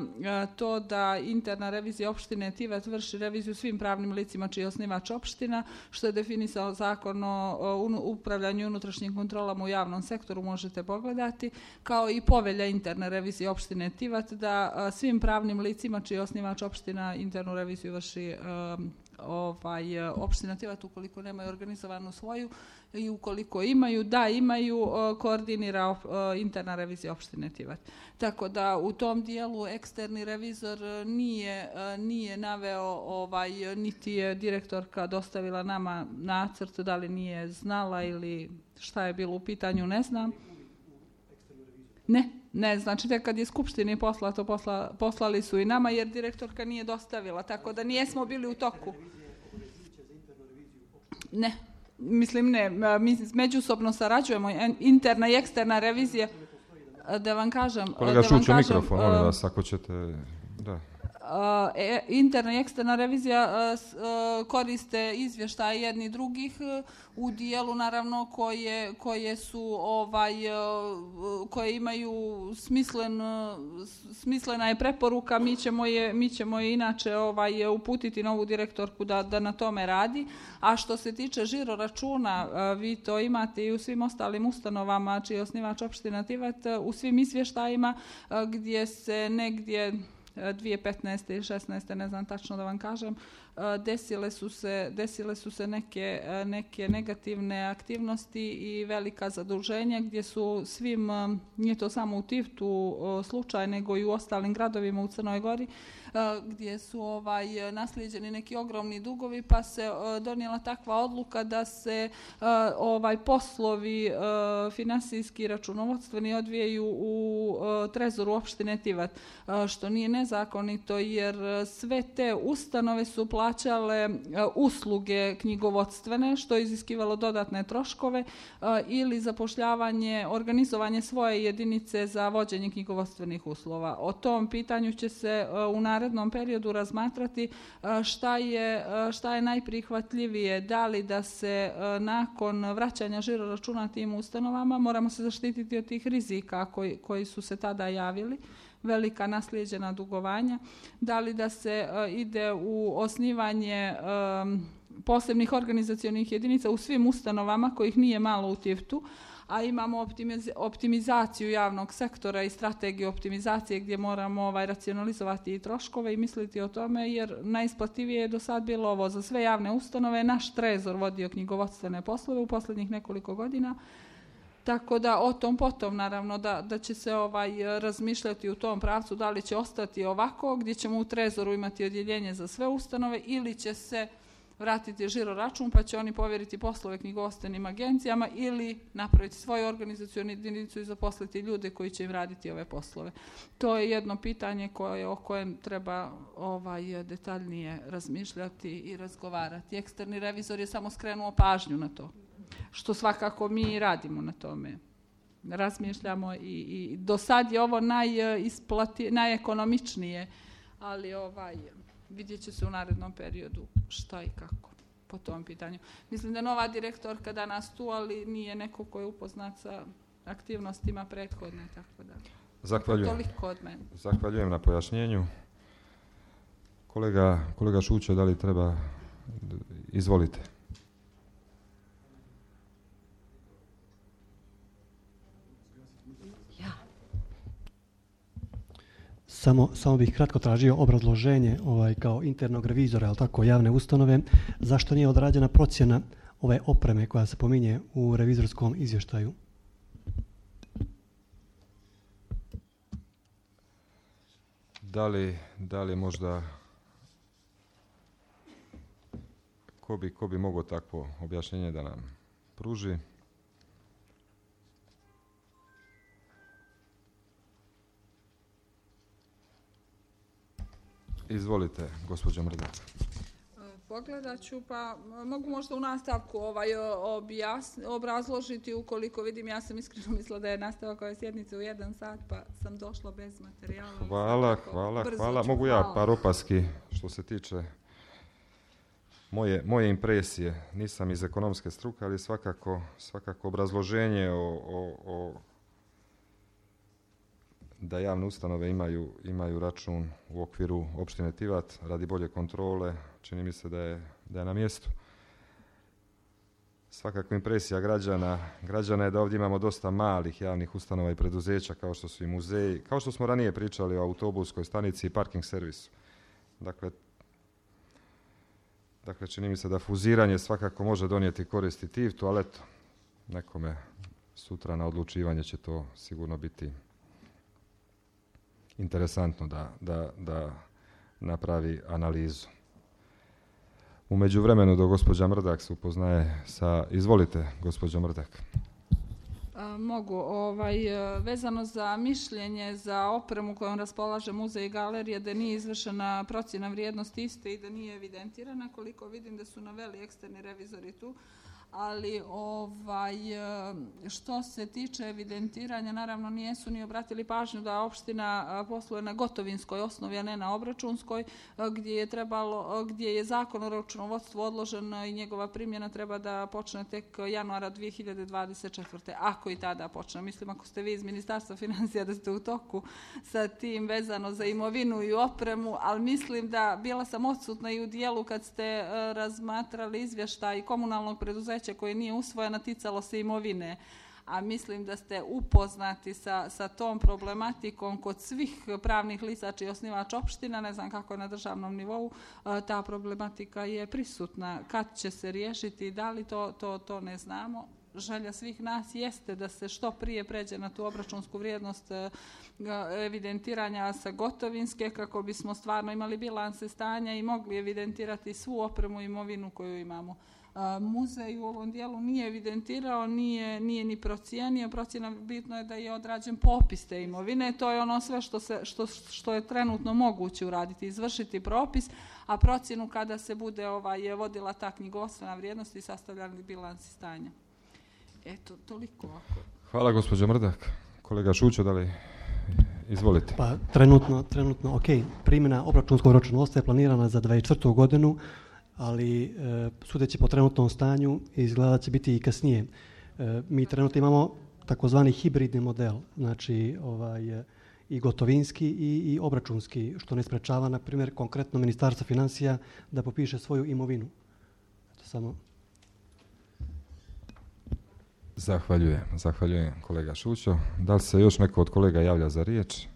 to da interna revizija opštine Tivat vrši reviziju svim pravnim licima čiji je osnivač opština, što je definisao zakon o upravljanju i unutrašnjim kontrolama u javnom sektoru, možete pogledati, kao i povelja interne revizije opštine Tivat da svim pravnim licima čiji je osnivač opština internu reviziju vrši um, ovaj, opština Tivat ukoliko nemaju organizovanu svoju i ukoliko imaju, da imaju, uh, koordinira uh, interna revizija opštine Tivat. Tako da u tom dijelu eksterni revizor nije, uh, nije naveo, ovaj, niti je direktorka dostavila nama nacrt, da li nije znala ili šta je bilo u pitanju, ne znam. Ne, ne, znači tek kad je skupštini poslato, posla, poslali su i nama jer direktorka nije dostavila, tako da nijesmo bili u toku. Ne, mislim ne, mi međusobno sarađujemo, interna i eksterna revizija, da vam kažem...
Kolega Šuć, u mikrofon, molim vas, ako ćete... Da.
E, interna i eksterna revizija uh, koriste izvještaje jedni drugih uh, u dijelu naravno koje, koje su ovaj, uh, koje imaju smislen, uh, smislena je preporuka, mi ćemo je, mi ćemo je inače ovaj, uputiti novu direktorku da, da na tome radi. A što se tiče žiro računa, uh, vi to imate i u svim ostalim ustanovama čiji je osnivač opština Tivat, uh, u svim izvještajima uh, gdje se negdje dvije tisuće petnaeste i šesnaeste ne znam tačno da vam kažem, desile su se, desile su se neke, neke negativne aktivnosti i velika zaduženja gdje su svim, nije to samo u Tivtu slučaj, nego i u ostalim gradovima u Crnoj Gori, gdje su ovaj, naslijeđeni neki ogromni dugovi, pa se donijela takva odluka da se ovaj, poslovi finansijski računovodstveni odvijaju u trezoru opštine Tivat, što nije nezakonito jer sve te ustanove su plaćale usluge knjigovodstvene, što je iziskivalo dodatne troškove ili zapošljavanje, organizovanje svoje jedinice za vođenje knjigovodstvenih uslova. O tom pitanju će se u narednom periodu razmatrati šta je, šta je najprihvatljivije, da li da se nakon vraćanja žiro računa tim ustanovama, moramo se zaštititi od tih rizika koji, koji su se tada javili, velika naslijeđena dugovanja, da li da se uh, ide u osnivanje um, posebnih organizacionih jedinica u svim ustanovama kojih nije malo u Tivtu, a imamo optimiz- optimizaciju javnog sektora i strategiju optimizacije gdje moramo ovaj, racionalizovati i troškove i misliti o tome, jer najisplativije je do sad bilo ovo za sve javne ustanove. Naš trezor vodio knjigovodstvene poslove u posljednjih nekoliko godina, tako da o tom potom naravno da, da će se ovaj, razmišljati u tom pravcu da li će ostati ovako gdje ćemo u trezoru imati odjeljenje za sve ustanove ili će se vratiti žiro račun pa će oni povjeriti poslove knjigovodstvenim agencijama ili napraviti svoju organizacionu jedinicu i zaposliti ljude koji će im raditi ove poslove. To je jedno pitanje koje, o kojem treba ovaj, detaljnije razmišljati i razgovarati. Eksterni revizor je samo skrenuo pažnju na to, što svakako mi radimo na tome. Razmišljamo i, i do sad je ovo najisplati, najekonomičnije, ali ovaj... vidjet će se u narednom periodu šta i kako po tom pitanju. Mislim da nova direktorka danas tu, ali nije neko ko je upoznat sa aktivnostima prethodne, tako da.
Zahvaljujem.
Toliko od mene.
Zahvaljujem na pojašnjenju. Kolega, kolega Šućo, da li treba? Izvolite.
Samo, samo bih kratko tražio obrazloženje ovaj, kao internog revizora, ali tako, javne ustanove, zašto nije odrađena procjena ove opreme koja se pominje u revizorskom izvještaju?
Da li, da li možda, ko bi, ko bi mogao takvo objašnjenje da nam pruži? Izvolite, gospođo Mrdak.
Pogledat ću, pa mogu možda u nastavku ovaj, objasni, obrazložiti ukoliko vidim, ja sam iskreno mislila da je nastavak ove sjednice u jedan sat, pa sam došla bez materijala.
Hvala, hvala, hvala. Mogu hvala. Ja par opaski što se tiče moje, moje impresije. Nisam iz ekonomske struke, ali svakako, svakako obrazloženje o, o, o da javne ustanove imaju, imaju račun u okviru opštine Tivat radi bolje kontrole, čini mi se da je, da je na mjestu. Svakako impresija građana, građana je da ovdje imamo dosta malih javnih ustanova i preduzeća kao što su i muzeji, kao što smo ranije pričali o autobuskoj stanici i parking servisu. Dakle, dakle čini mi se da fuziranje svakako može donijeti koristi Tivtu, ali eto, nekome sutra na odlučivanje će to sigurno biti interesantno da, da, da napravi analizu. U međuvremenu do gospođa Mrdak se upoznaje sa... Izvolite, gospođo Mrdak.
A, mogu. Ovaj, vezano za mišljenje za opremu kojom raspolaže muzej i galerija, da nije izvršena procjena vrijednosti iste i da nije evidentirana, koliko vidim da su naveli eksterni revizori tu. Ali ovaj, što se tiče evidentiranja, naravno nijesu ni obratili pažnju da opština posluje na gotovinskoj osnovi, a ne na obračunskoj, gdje je, trebalo, gdje je zakon o računovodstvu odložen i njegova primjena treba da počne tek januara dvije hiljade dvadeset četvrte. Ako i tada počne. Mislim, ako ste vi iz Ministarstva financija da ste u toku sa tim vezano za imovinu i opremu, ali mislim da bila sam odsutna i u dijelu kad ste razmatrali izvještaj komunalnog preduzeća koje nije usvojena, ticalo se imovine, a mislim da ste upoznati sa, sa tom problematikom kod svih pravnih lica čiji je osnivač opština, ne znam kako je na državnom nivou, ta problematika je prisutna. Kad će se riješiti, da li to, to, to ne znamo. Želja svih nas jeste da se što prije pređe na tu obračunsku vrijednost evidentiranja sa gotovinske, kako bismo stvarno imali bilanse stanja i mogli evidentirati svu opremu i imovinu koju imamo. Muzej u ovom dijelu nije evidentirao, nije, nije ni procijenio. Procjena, bitno je da je odrađen popis te imovine. To je ono sve što, se, što, što je trenutno moguće uraditi, izvršiti propis, a procjenu kada se bude ovaj, vodila ta knjigovodstvena vrijednost i sastavljali bilansi stanja. Eto, toliko ovako.
Hvala, gospođo Mrdak. Kolega Šućo, da li izvolite?
Pa trenutno, trenutno ok, primjena obračunskog računovodstva je planirana za dvadeset četvrtu godinu, ali e, sudeći po trenutnom stanju izgleda da će biti i kasnije. E, mi trenutno imamo takozvani hibridni model, znači ovaj, i gotovinski i, i obračunski, što ne sprečava, na primjer, konkretno Ministarstvo financija da popiše svoju imovinu. Eto, samo...
Zahvaljujem, zahvaljujem kolega Šućo. Da li se još neko od kolega javlja za riječ?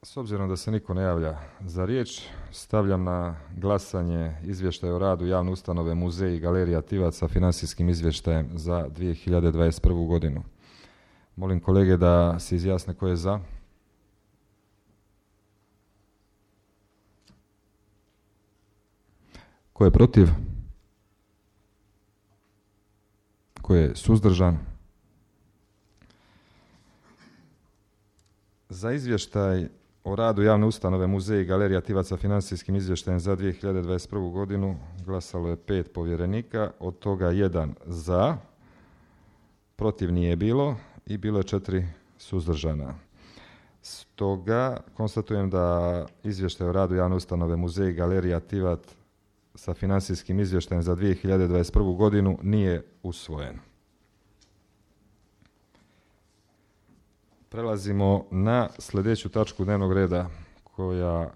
S obzirom da se niko ne javlja za riječ, stavljam na glasanje izvještaj o radu javne ustanove Muzej i galerija Tivac sa financijskim izvještajem za dvije hiljade dvadeset prvu. godinu. Molim kolege da se izjasne ko je za. Ko je protiv? Ko je suzdržan? Za izvještaj o radu javne ustanove Muzej i galerija Tivac sa financijskim izvještajem za dvije hiljade dvadeset prvu. godinu glasalo je pet povjerenika, od toga jedan za, protiv nije bilo i bilo je četiri suzdržana. Stoga konstatujem da izvještaj o radu javne ustanove Muzej i galerija Tivac sa financijskim izvještajem za dvije hiljade dvadeset prvu. godinu nije usvojen. Prelazimo na sljedeću tačku dnevnog reda koja,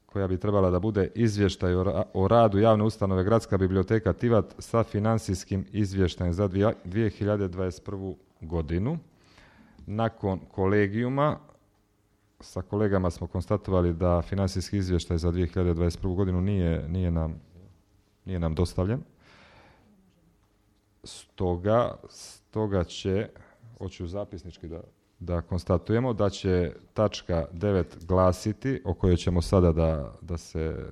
koja bi trebala da bude izvještaj o, ra- o radu javne ustanove Gradska biblioteka Tivat sa financijskim izvještajem za dvije hiljade dvadeset prvu. godinu. Nakon kolegijuma sa kolegama smo konstatovali da financijski izvještaj za dvije hiljade dvadeset prvu. godinu nije, nije, nam, nije nam dostavljen. Stoga, stoga će, hoću zapisnički da, da konstatujemo, da će tačka devet glasiti, o kojoj ćemo sada da, da se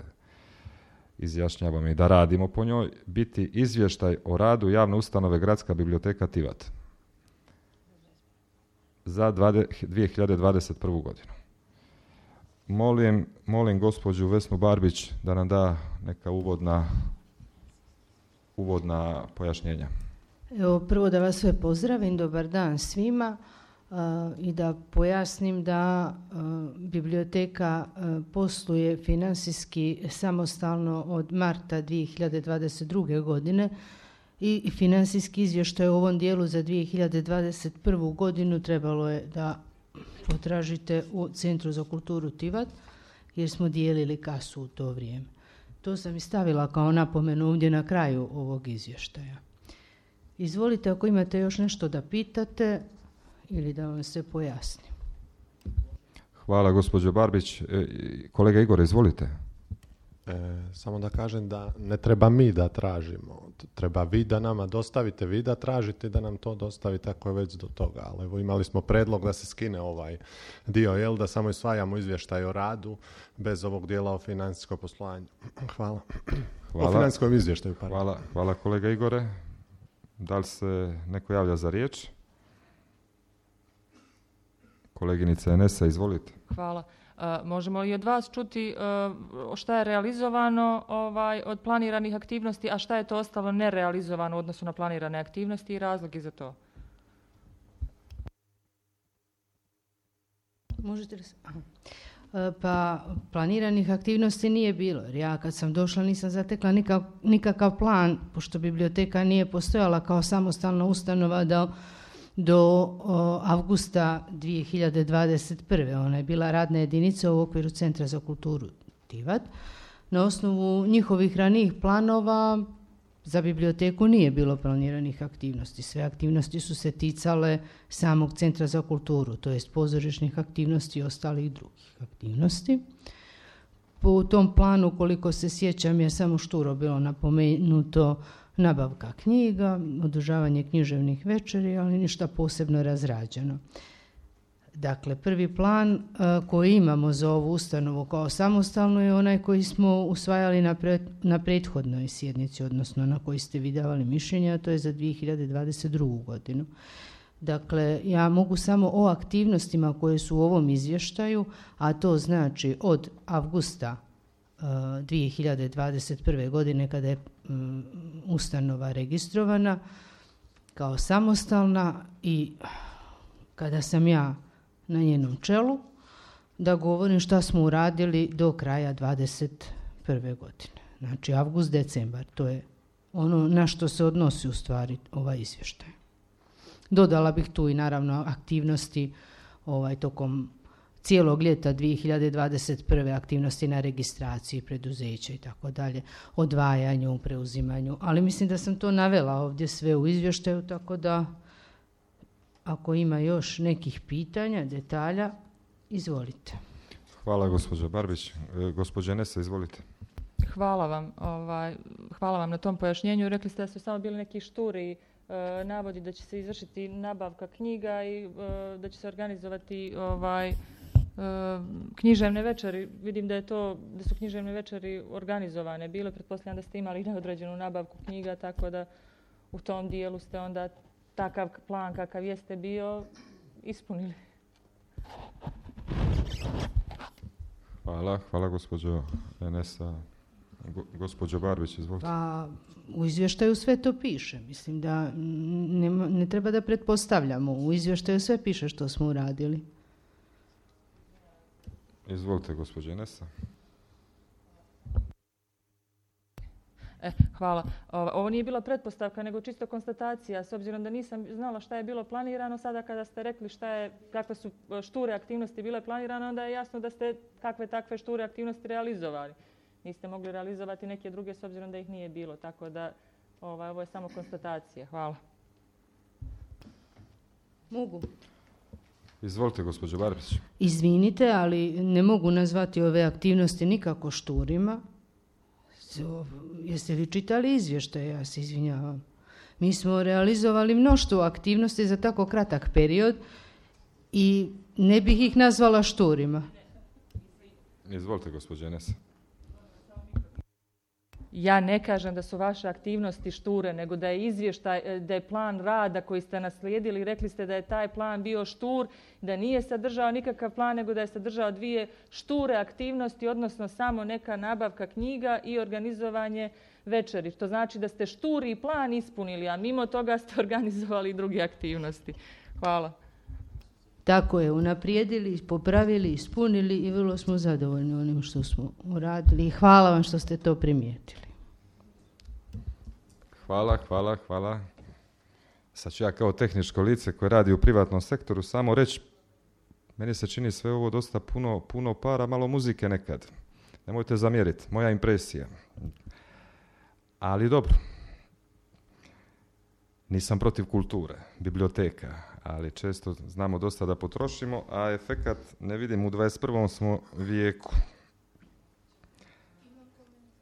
izjašnjavamo i da radimo po njoj, biti izvještaj o radu javne ustanove Gradska biblioteka Tivat za dvije hiljade dvadeset prvu. godinu. Molim, molim gospođu Vesnu Barbić da nam da neka uvodna, uvodna pojašnjenja.
Evo, prvo da vas sve pozdravim, dobar dan svima uh, i da pojasnim da uh, biblioteka uh, posluje financijski samostalno od marta dvije hiljade dvadeset druge. godine i financijski izvještaj u ovom dijelu za dvije hiljade dvadeset prvu. godinu trebalo je da potražite u Centru za kulturu Tivat, jer smo dijelili kasu u to vrijeme. To sam i stavila kao napomenu ovdje na kraju ovog izvještaja. Izvolite ako imate još nešto da pitate ili da vam se pojasnim.
Hvala gospođo Barbić. E, kolega Igor, izvolite.
E, samo da kažem da ne treba mi da tražimo, treba vi da nama dostavite, vi da tražite da nam to dostavite ako je već do toga. Ali evo, imali smo predlog da se skine ovaj dio, jel, da samo usvajamo izvještaj o radu bez ovog dijela o financijskom poslovanju. Hvala.
Hvala.
O financijskom izvještaju. Pardon.
Hvala, hvala kolega Igore. Da li se neko javlja za riječ? Koleginica Enesa, izvolite.
Hvala. Uh, možemo i od vas čuti uh, šta je realizovano ovaj, od planiranih aktivnosti, a šta je to ostalo nerealizovano u odnosu na planirane aktivnosti i razlogi za to?
Možete li se... Aha. Pa planiranih aktivnosti nije bilo, jer ja kad sam došla nisam zatekla nikak, nikakav plan, pošto biblioteka nije postojala kao samostalna ustanova do, do o, avgusta dvije hiljade dvadeset prve. Ona je bila radna jedinica u okviru Centra za kulturu Tivat. Na osnovu njihovih ranijih planova za biblioteku nije bilo planiranih aktivnosti. Sve aktivnosti su se ticale samog Centra za kulturu, to jest pozorišnih aktivnosti i ostalih drugih aktivnosti. Po tom planu, koliko se sjećam, je samo šturo bilo napomenuto nabavka knjiga, održavanje književnih večeri, ali ništa posebno razrađeno. Dakle, prvi plan uh, koji imamo za ovu ustanovu kao samostalno je onaj koji smo usvajali na, pre, na prethodnoj sjednici, odnosno na koji ste vi davali mišljenje, a to je za dvije hiljade dvadeset drugu. godinu. Dakle, ja mogu samo o aktivnostima koje su u ovom izvještaju, a to znači od avgusta uh, dvije hiljade dvadeset prve. godine kada je um, ustanova registrovana kao samostalna i kada sam ja na njenom čelu, da govorim šta smo uradili do kraja dvadeset prve. godine. Znači, avgust, decembar, to je ono na što se odnosi u stvari ovaj izvještaj. Dodala bih tu i naravno aktivnosti ovaj, tokom cijelog ljeta dvije hiljade dvadeset prve aktivnosti na registraciji preduzeća i tako dalje, odvajanju, preuzimanju, ali mislim da sam to navela ovdje sve u izvještaju, tako da ako ima još nekih pitanja, detalja, izvolite.
Hvala gospođo Barbić. E, gospođa Nesa, izvolite.
Hvala vam, ovaj, hvala vam na tom pojašnjenju. Rekli ste da su samo bili neki šturi e, navodi da će se izvršiti nabavka knjiga i e, da će se organizovati ovaj, e, književne večeri. Vidim da je to, da su književne večeri organizovane bile. Pretpostavljam da ste imali neodređenu nabavku knjiga, tako da u tom dijelu ste onda takav plan kakav jeste bio ispunili.
Hvala, hvala gospođo Enesa. Go, gospođo Barbić, izvolite.
Pa, u izvještaju sve to piše. Mislim da ne, ne treba da pretpostavljamo. U izvještaju sve piše što smo uradili.
Izvolite, gospođo Enesa.
E, hvala. Ovo nije bila pretpostavka, nego čisto konstatacija. S obzirom da nisam znala šta je bilo planirano, sada kada ste rekli šta je, kakve su šture aktivnosti bile planirane, onda je jasno da ste kakve takve šture aktivnosti realizovali. Niste mogli realizovati neke druge s obzirom da ih nije bilo. Tako da ovaj, ovo je samo konstatacija. Hvala.
Mogu.
Izvolite, gospođo Barbić.
Izvinite, ali ne mogu nazvati ove aktivnosti nikako šturima. Jeste li čitali izvještaj? Ja se izvinjavam. Mi smo realizovali mnoštvo aktivnosti za tako kratak period i ne bih ih nazvala šturima.
Izvolite, gospođo Enesa.
Ja ne kažem da su vaše aktivnosti šture, nego da je izvještaj, da je plan rada koji ste naslijedili. Rekli ste da je taj plan bio štur, da nije sadržao nikakav plan, nego da je sadržao dvije šture aktivnosti, odnosno samo neka nabavka knjiga i organizovanje večeri. To znači da ste šturi i plan ispunili, a mimo toga ste organizovali i druge aktivnosti. Hvala.
Tako je, unaprijedili, popravili, ispunili i vrlo smo zadovoljni onim što smo uradili. Hvala vam što ste to primijetili.
Hvala, hvala, hvala. Sad ću ja kao tehničko lice koje radi u privatnom sektoru samo reći, meni se čini sve ovo dosta puno, puno para, malo muzike nekad. Nemojte zamjeriti, moja impresija. Ali dobro. Nisam protiv kulture, biblioteka, ali često znamo dosta da potrošimo, a efekat ne vidim u dvadeset prvom smo vijeku.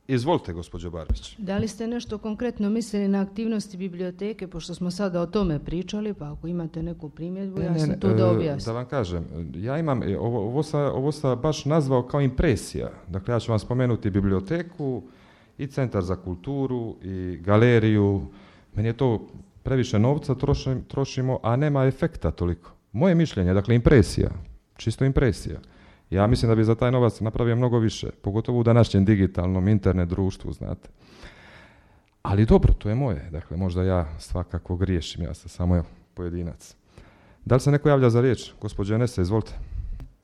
Izvolite, gospođo Barbić.
Da li ste nešto konkretno mislili na aktivnosti biblioteke, pošto smo sada o tome pričali, pa ako imate neku primjedbu,
ne,
ja
ne,
sam
ne,
tu da objasnim.
Da vam kažem, ja imam, ovo, ovo, sam, ovo sam baš nazvao kao impresija. Dakle, ja ću vam spomenuti biblioteku i Centar za kulturu i galeriju. Meni je to previše novca trošim, trošimo, a nema efekta toliko. Moje mišljenje, dakle, impresija, čisto impresija. Ja mislim da bi za taj novac napravio mnogo više, pogotovo u današnjem digitalnom internet društvu, znate. Ali dobro, to je moje. Dakle, možda ja svakako griješim, ja sam samo evo, pojedinac. Da li se neko javlja za riječ? Gospođo Enesa, izvolite.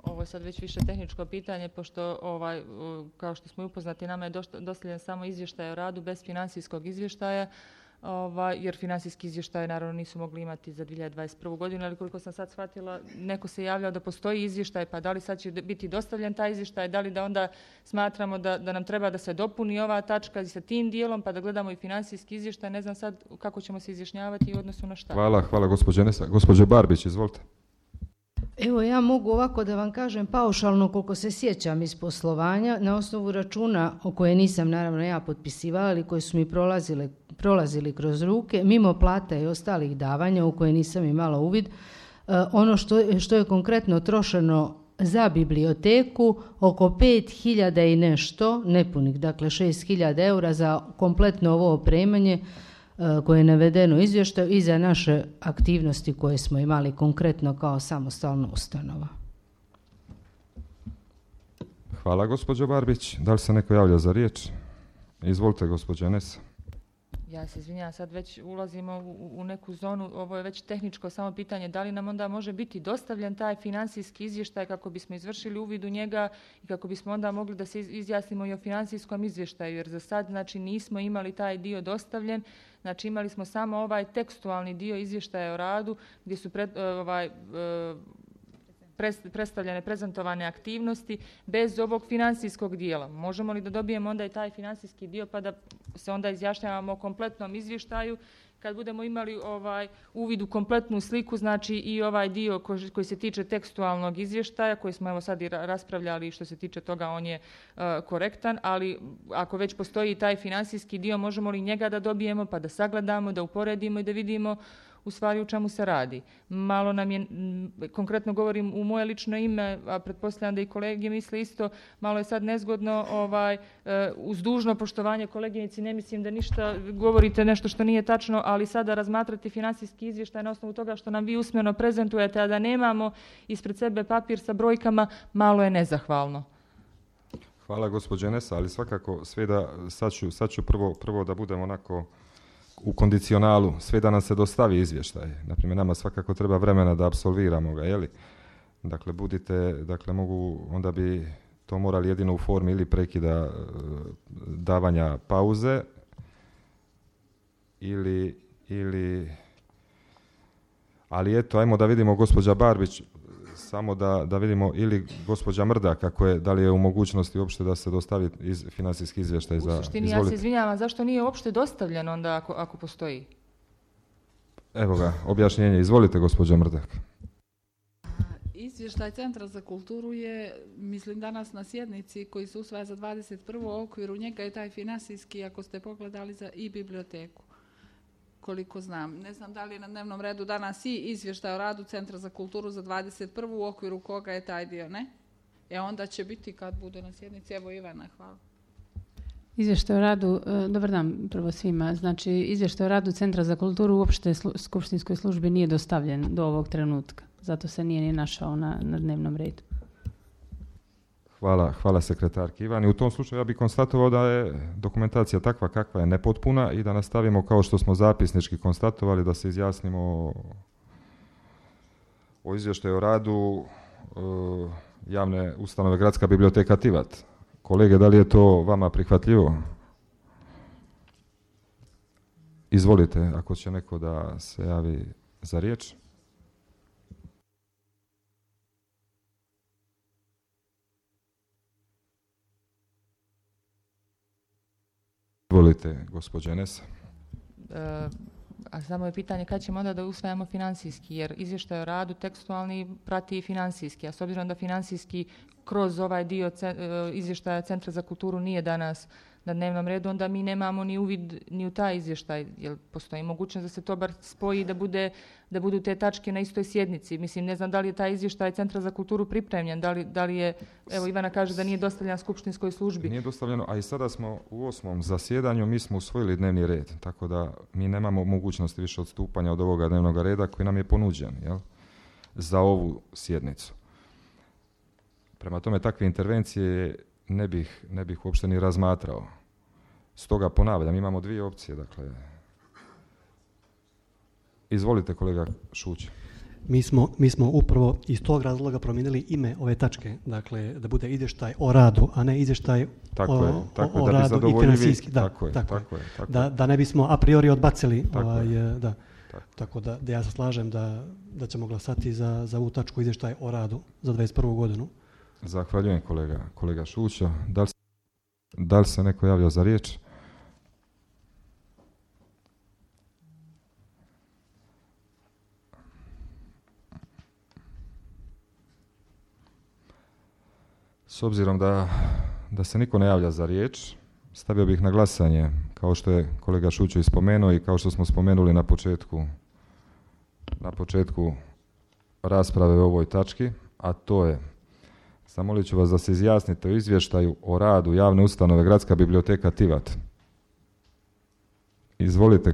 Ovo je sad već više tehničko pitanje, pošto ovaj, kao što smo upoznati, nama je dostavljen samo izvještaj o radu bez financijskog izvještaja, Ovaj, jer financijski izvještaj naravno nisu mogli imati za dvije hiljade dvadeset prvu godinu, ali koliko sam sad shvatila, neko se javljao da postoji izvještaj, pa da li sad će biti dostavljen taj izvještaj, da li da onda smatramo da, da nam treba da se dopuni ova tačka sa tim dijelom, pa da gledamo i financijski izvještaj, ne znam sad kako ćemo se izjašnjavati u odnosu na šta.
Hvala, hvala gospođo Nesa. Gospođo Barbić, izvolite.
Evo, ja mogu ovako da vam kažem paušalno koliko se sjećam iz poslovanja na osnovu računa o koje nisam naravno ja potpisivala, ali koje su mi prolazile, prolazili kroz ruke, mimo plata i ostalih davanja u koje nisam imala uvid. E, ono što, što je konkretno trošeno za biblioteku, oko pet hiljada i nešto, nepunih, dakle šest hiljada eura za kompletno ovo opremanje koje je navedeno u izvještaju i za naše aktivnosti koje smo imali konkretno kao samostalna ustanova.
Hvala, gospođo Barbić. Da li se neko javlja za riječ? Izvolite, gospođo Nesa.
Ja se izvinjavam, sad već ulazimo u, u neku zonu, ovo je već tehničko samo pitanje, da li nam onda može biti dostavljen taj financijski izvještaj kako bismo izvršili uvid u njega i kako bismo onda mogli da se izjasnimo i o financijskom izvještaju, jer za sad znači nismo imali taj dio dostavljen, znači imali smo samo ovaj tekstualni dio izvještaja o radu gdje su pred, ovaj, predstavljene, prezentovane aktivnosti bez ovog financijskog dijela. Možemo li da dobijemo onda i taj financijski dio pa da se onda izjašnjavamo o kompletnom izvještaju kad budemo imali ovaj uvid u kompletnu sliku, znači i ovaj dio koji, koji se tiče tekstualnog izvještaja, koji smo evo sad i raspravljali, što se tiče toga on je uh, korektan, ali ako već postoji taj financijski dio, možemo li njega da dobijemo pa da sagledamo, da uporedimo i da vidimo u stvari u čemu se radi. Malo nam je, konkretno govorim u moje lično ime, a pretpostavljam da i kolege misle isto, malo je sad nezgodno, ovaj, uz dužno poštovanje koleginici, ne mislim da ništa govorite nešto što nije tačno, ali sada razmatrati financijski izvještaj na osnovu toga što nam vi usmeno prezentujete, a da nemamo ispred sebe papir sa brojkama, malo je nezahvalno.
Hvala gospođe Nesa, ali svakako sve da, sad ću, sad ću prvo, prvo da budem onako u kondicionalu, sve da nam se dostavi izvještaj. Naprimjer, nama svakako treba vremena da apsolviramo ga, jeli? Dakle, budite, dakle, mogu, onda bi to morali jedino u formi ili prekida davanja pauze ili, ili, ali eto, ajmo da vidimo gospođa Barbić, samo da, da vidimo, ili gospođa Mrda, kako je, da li je u mogućnosti uopšte da se dostavi iz, financijski izvještaj za...
U suštini, izvolite. Ja se izvinjavam, zašto nije uopšte dostavljen onda ako, ako postoji?
Evo ga, objašnjenje. Izvolite, gospođa Mrdak.
Izvještaj Centra za kulturu je, mislim, danas na sjednici koji se usvaja za dvadeset prvu u okviru njega je taj financijski, ako ste pogledali, za i biblioteku. Koliko znam. Ne znam da li je na dnevnom redu danas i izvještaj o radu Centra za kulturu za dvadeset prvu u okviru koga je taj dio, ne? E onda će biti kad bude na sjednici. Evo Ivana, hvala.
Izvještaj o radu, dobar dan prvo svima, znači izvještaj o radu Centra za kulturu uopšte slu, skupštinskoj službi nije dostavljen do ovog trenutka, zato se nije ni našao na, na dnevnom redu.
Hvala, hvala sekretarki Ivani. U tom slučaju ja bih konstatovao da je dokumentacija takva kakva je nepotpuna i da nastavimo kao što smo zapisnički konstatovali da se izjasnimo o, o izvještaju o radu uh, javne ustanove Gradska biblioteka Tivat. Kolege, da li je to vama prihvatljivo? Izvolite, ako će neko da se javi za riječ. Izvolite, gospođa Nesa.
E, a samo je pitanje kad ćemo onda da usvajamo financijski, jer izvještaj o radu tekstualni prati i financijski, a s obzirom da financijski kroz ovaj dio ce, e, izvještaja Centra za kulturu nije danas na dnevnom redu, onda mi nemamo ni uvid ni u taj izvještaj, jer postoji mogućnost da se to bar spoji da bude da budu te tačke na istoj sjednici. Mislim, ne znam da li je taj izvještaj Centra za kulturu pripremljen, da li, da li je, evo Ivana kaže da nije dostavljen skupštinskoj službi. Nije
dostavljeno, a i sada smo u osmom zasjedanju, mi smo usvojili dnevni red, tako da mi nemamo mogućnosti više odstupanja od ovoga dnevnog reda koji nam je ponuđen, jel, za ovu sjednicu. Prema tome, takve intervencije ne bih, ne bih uopšte ni razmatrao. Stoga ponavljam, imamo dvije opcije, dakle. Izvolite, kolega Šuć.
Mi smo, mi smo upravo iz tog razloga promijenili ime ove tačke, dakle da bude izvještaj o radu, a ne izvještaj
tako
o,
je, tako
o, o
da
radu i financijski. Da,
tako je,
tako
tako je, tako
da, da ne bismo a priori odbacili.
Tako,
ovaj,
je.
da.
Tako.
tako da, da ja se slažem da, da ćemo glasati za, za ovu tačku izvještaj o radu za dvadeset prvu godinu.
Zahvaljujem kolega, kolega Šuća. Da li, da li se neko javio za riječ? S obzirom da, da se niko ne javlja za riječ, stavio bih na glasanje, kao što je kolega Šuću ispomenuo i kao što smo spomenuli na početku, na početku rasprave o ovoj tački, a to je: zamolit ću vas da se izjasnite o izvještaju o radu javne ustanove Gradska biblioteka Tivat. Izvolite,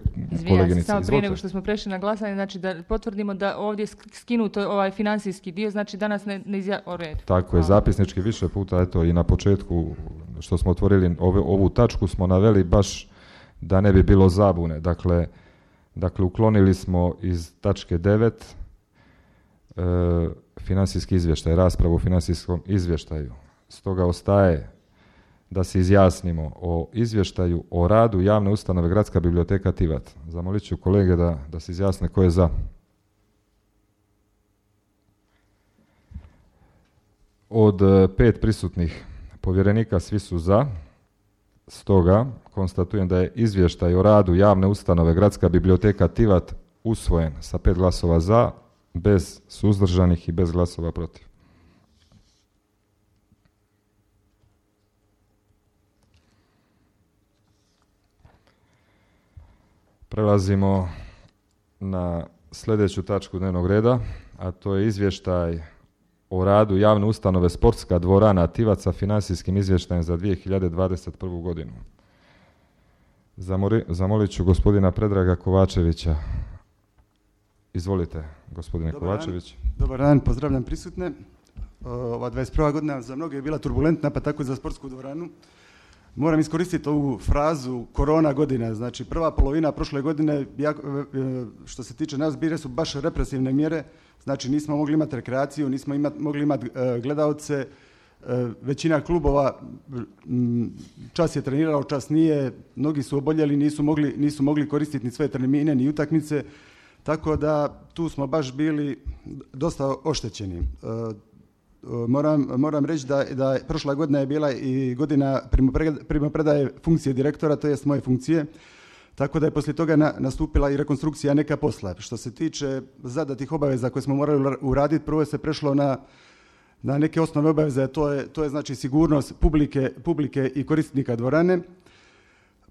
koleginice.
Samo prije nego što smo prešli na glasanje, znači da potvrdimo da ovdje skinuto ovaj financijski dio, znači danas ne, ne izja... o redu.
Tako je, zapisnički više puta, eto i na početku što smo otvorili ove, ovu tačku smo naveli baš da ne bi bilo zabune. Dakle, dakle uklonili smo iz tačke devet e, financijski izvještaj, raspravu o financijskom izvještaju. Stoga ostaje da se izjasnimo o izvještaju o radu javne ustanove Gradska biblioteka Tivat. Zamolit ću kolege da, da se izjasne ko je za. Od pet prisutnih povjerenika svi su za. Stoga konstatujem da je izvještaj o radu javne ustanove Gradska biblioteka Tivat usvojen sa pet glasova za, bez suzdržanih i bez glasova protiv. Prelazimo na sljedeću tačku dnevnog reda, a to je izvještaj o radu javne ustanove Sportska dvorana Tivat sa financijskim izvještajem za dvije hiljade dvadeset prvu. godinu. Zamori, zamolit ću gospodina Predraga Kovačevića. Izvolite, gospodine
Dobar
Kovačević.
Dan. Dobar dan, pozdravljam prisutne. Ova dvadeset prva godina za mnoge je bila turbulentna, pa tako i za sportsku dvoranu. Moram iskoristiti ovu frazu korona godina, znači prva polovina prošle godine, što se tiče nas, bile su baš represivne mjere, znači nismo mogli imati rekreaciju, nismo imati, mogli imati gledaoce, većina klubova čas je trenirao, čas nije, mnogi su oboljeli, nisu mogli, nisu mogli koristiti ni svoje termine, ni utakmice, tako da tu smo baš bili dosta oštećeni. Moram, moram reći da, da prošla godina je bila i godina primopredaje funkcije direktora, to jest moje funkcije, tako da je poslije toga na, nastupila i rekonstrukcija neka posla. Što se tiče zadatih obaveza koje smo morali uraditi, prvo je se prešlo na, na neke osnovne obaveze, to je, to je znači sigurnost publike, publike i korisnika dvorane,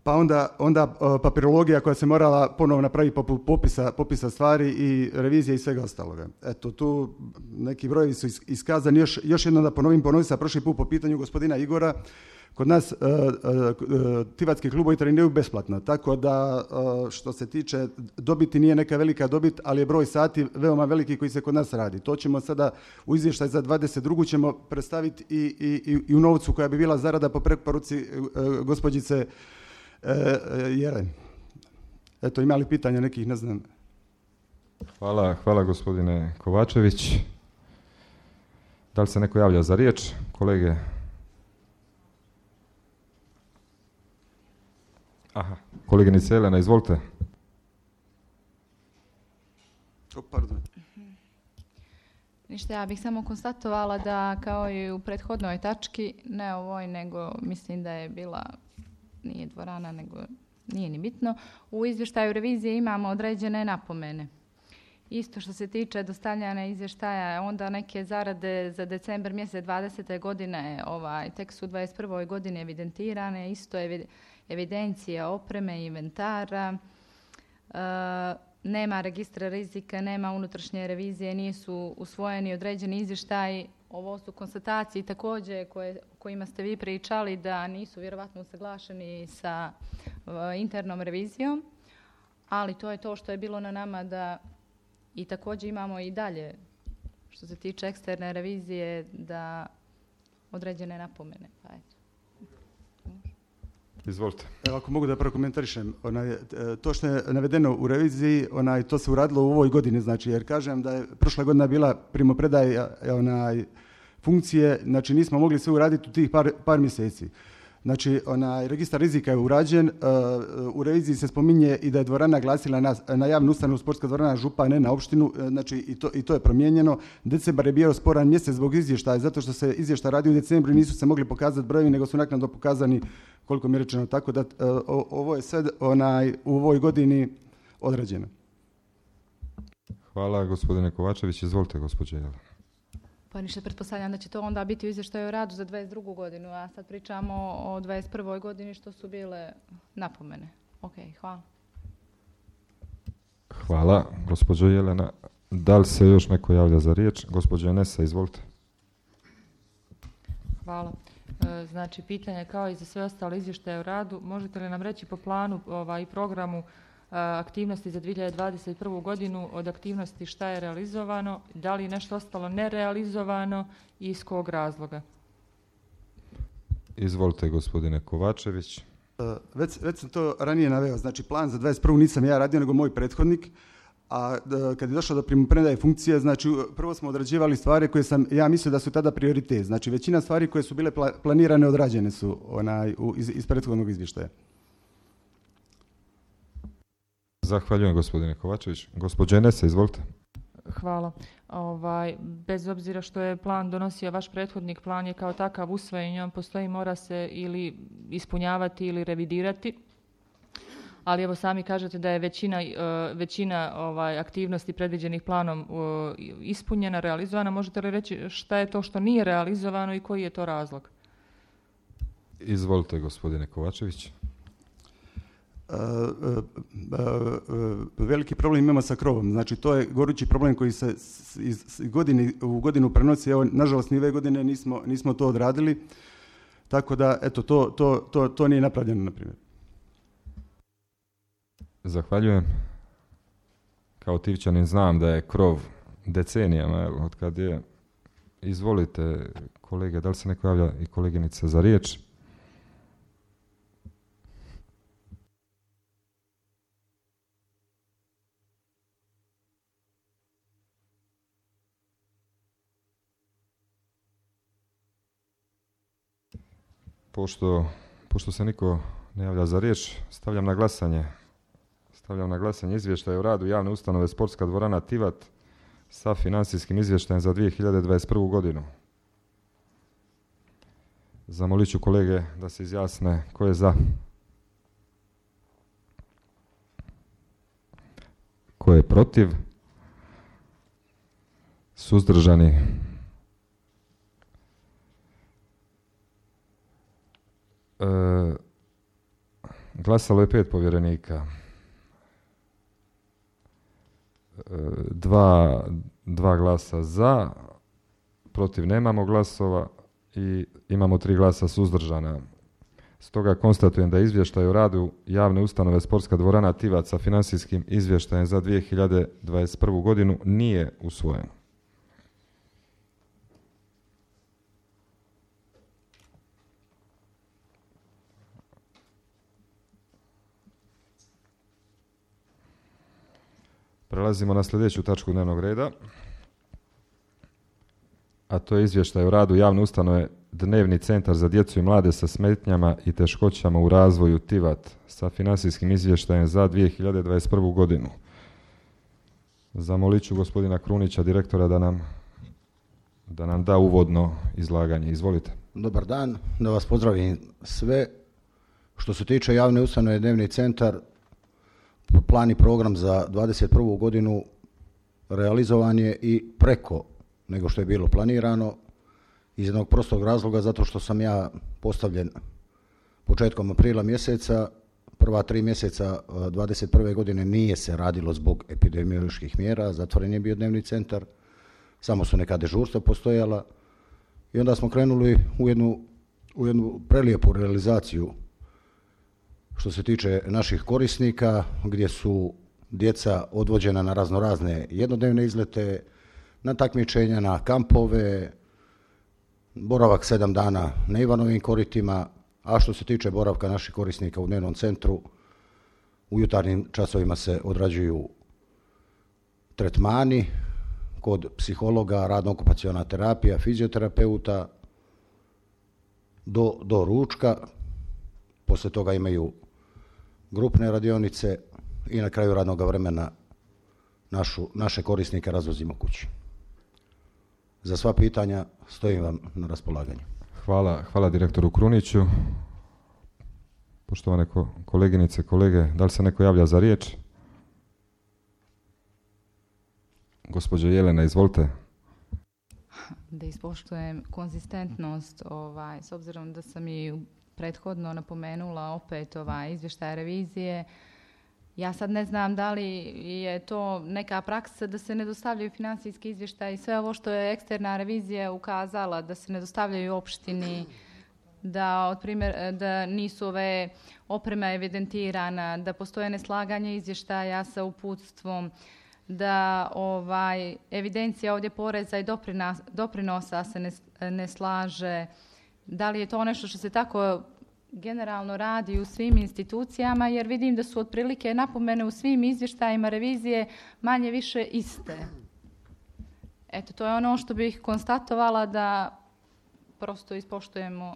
pa onda, onda papirologija koja se morala ponovno napraviti poput popisa, popisa stvari i revizije i svega ostaloga. Eto, tu neki brojevi su iskazani. Još, još jednom da ponovim, ponovim sa prošli put po pitanju gospodina Igora. Kod nas uh, uh, tivatski klubovi treniraju besplatno, tako da uh, što se tiče dobiti nije neka velika dobit, ali je broj sati veoma veliki koji se kod nas radi. To ćemo sada u izvještaj za dvadeset drugu ćemo predstaviti i, i, i u novcu koja bi bila zarada po preporuci uh, gospođice E, Jelen. Eto, ima li pitanja nekih, ne znam.
Hvala, hvala gospodine Kovačević. Da li se neko javlja za riječ? Kolege? Aha, koleginica Jelena, izvolite.
O, pardon.
Ništa, ja bih samo konstatovala da kao i u prethodnoj tački, ne ovoj, nego mislim da je bila, nije dvorana, nego nije ni bitno, u izvještaju revizije imamo određene napomene. Isto što se tiče dostavljanja izvještaja, onda neke zarade za decembar mjesec dvadesete godine, ovaj, tek su u dvadeset prvoj godini evidentirane, isto je evidencija opreme i inventara, e, nema registra rizika, nema unutrašnje revizije, nisu usvojeni određeni izvještaji. Ovo su konstatacije također koje, kojima ste vi pričali da nisu vjerovatno usaglašeni sa uh, internom revizijom, ali to je to što je bilo na nama da i također imamo i dalje što se tiče eksterne revizije da određene napomene. Pa eto.
Izvolite.
Evo, ako mogu da prokomentarišem, onaj, to što je navedeno u reviziji, onaj, to se uradilo u ovoj godini, znači, jer kažem da je prošla godina bila primopredaja onaj, funkcije, znači nismo mogli sve uraditi u tih par, par mjeseci. Znači, onaj, registar rizika je urađen, uh, u reviziji se spominje i da je dvorana glasila na, na javnu ustanovu Sportska dvorana Župa, ne na opštinu, znači i to, i to je promijenjeno. Decembar je bio sporan mjesec zbog izvještaja, zato što se izvještaj radi u decembru i nisu se mogli pokazati brojevi, nego su naknadno pokazani koliko mi je rečeno, tako da uh, ovo je sve onaj, u ovoj godini odrađeno.
Hvala gospodine Kovačević, izvolite gospođe Jelena.
Pa ništa, pretpostavljam da će to onda biti u izvještaju o radu za dvadeset drugu godinu, a sad pričamo o dvadeset prvoj godini što su bile napomene. Ok, hvala.
Hvala, gospođo Jelena. Da li se još neko javlja za riječ? Gospođo Enesa, izvolite.
Hvala. E, znači, pitanje kao i za sve ostale izvještaje o radu, možete li nam reći po planu ovaj, i programu aktivnosti za dvije hiljade dvadeset prvu. godinu od aktivnosti šta je realizovano, da li je nešto ostalo nerealizovano i iz kog razloga?
Izvolite gospodine Kovačević.
Već, već sam to ranije naveo, znači plan za dvadeset prvu nisam ja radio, nego moj prethodnik, a kad je došlo do primopredaje funkcije, znači prvo smo odrađivali stvari koje sam ja mislio da su tada prioritet. Znači većina stvari koje su bile pla, planirane odrađene su onaj, u, iz, iz prethodnog izvještaja.
Zahvaljujem gospodine Kovačević. Gospođa Enesa, izvolite.
Hvala. Ovaj, bez obzira što je plan donosio vaš prethodnik, plan je kao takav usvojen, on postoji, mora se ili ispunjavati ili revidirati. Ali evo sami kažete da je većina, većina ovaj, aktivnosti predviđenih planom ispunjena, realizovana. Možete li reći šta je to što nije realizovano i koji je to razlog?
Izvolite gospodine Kovačević.
Uh, uh, uh, veliki problem imamo sa krovom. Znači to je gorući problem koji se iz godine u godinu prenosi. Evo, nažalost, ni ove godine nismo, nismo to odradili. Tako da, eto, to, to, to, to nije napravljeno, na primjer.
Zahvaljujem. Kao Tivčanin znam da je krov decenijama, od kad je. Izvolite, kolege, da li se neko javlja i koleginica za riječ? Pošto, pošto se niko ne javlja za riječ, stavljam na glasanje. Stavljam na glasanje izvještaj o radu javne ustanove Sportska dvorana Tivat sa financijskim izvještajem za dvije hiljade dvadeset prvu godinu. Zamolit ću kolege da se izjasne ko je za. Ko je protiv? Suzdržani? E, glasalo je pet povjerenika. E, dva, dva glasa za, protiv nemamo glasova i imamo tri glasa suzdržana. Stoga konstatujem da izvještaj o radu javne ustanove Sportska dvorana Tivat sa financijskim izvještajem za dvije hiljade dvadeset prvu godinu nije usvojen. Prelazimo na sljedeću tačku dnevnog reda, a to je izvještaj o radu javne ustanove Dnevni centar za djecu i mlade sa smetnjama i teškoćama u razvoju Tivat sa financijskim izvještajem za dvije hiljade dvadeset prvu godinu. Zamolit ću gospodina Krunića, direktora, da nam, da nam da uvodno izlaganje. Izvolite.
Dobar dan, da vas pozdravim sve. Što se tiče javne ustanove Dnevni centar, plan i program za dvadeset prvu godinu realizovan je i preko nego što je bilo planirano, iz jednog prostog razloga, zato što sam ja postavljen početkom aprila mjeseca. Prva tri mjeseca dvadeset prve godine nije se radilo zbog epidemioloških mjera, zatvoren je bio dnevni centar, samo su neka dežurstva postojala i onda smo krenuli u jednu, u jednu prelijepu realizaciju što se tiče naših korisnika, gdje su djeca odvođena na raznorazne jednodnevne izlete, na takmičenja, na kampove, boravak sedam dana na Ivanovim koritima, a što se tiče boravka naših korisnika u dnevnom centru, u jutarnjim časovima se odrađuju tretmani kod psihologa, radno-okupaciona terapija, fizioterapeuta, do, do ručka. Poslije toga imaju grupne radionice i na kraju radnog vremena našu, naše korisnike razvozimo kući. Za sva pitanja stojim vam na raspolaganju.
Hvala, hvala direktoru Kruniću. Poštovane ko, koleginice, kolege, da li se neko javlja za riječ? Gospođo Jelena, izvolite.
Da ispoštujem konzistentnost, ovaj, s obzirom da sam i prethodno napomenula opet ovaj, izvještaj revizije. Ja sad ne znam da li je to neka praksa da se ne dostavljaju financijski izvještaj i sve ovo što je eksterna revizija ukazala, da se ne dostavljaju opštini, da, od primjer, da nisu ove oprema evidentirana, da postoje neslaganje izvještaja sa uputstvom, da ovaj, evidencija ovdje poreza i doprinosa se ne, ne slaže. Da li je to nešto što se tako generalno radi u svim institucijama, jer vidim da su otprilike napomene u svim izvještajima revizije manje više iste. Eto, to je ono što bih konstatovala, da prosto ispoštujemo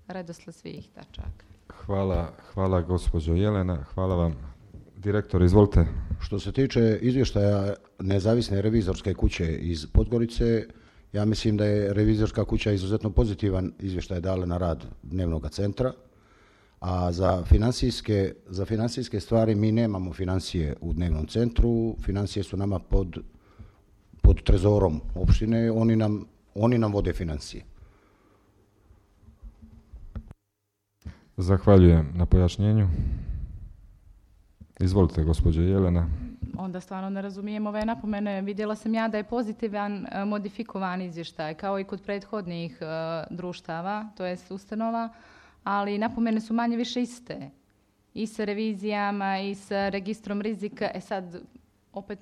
redosled svih tačaka.
Hvala, hvala gospođo Jelena, hvala vam. Direktor, izvolite.
Što se tiče izvještaja nezavisne revizorske kuće iz Podgorice, ja mislim da je revizorska kuća izuzetno pozitivan izvještaj dala na rad dnevnog centra, a za financijske, za financijske stvari mi nemamo financije u dnevnom centru, financije su nama pod, pod trezorom opštine, oni nam, oni nam vode financije.
Zahvaljujem na pojašnjenju. Izvolite, gospođo Jelena.
Onda stvarno ne razumijem ove napomene. Vidjela sam ja da je pozitivan modifikovan izvještaj, kao i kod prethodnih uh, društava, to jest ustanova, ali napomene su manje više iste. I sa revizijama, i sa registrom rizika. E sad, opet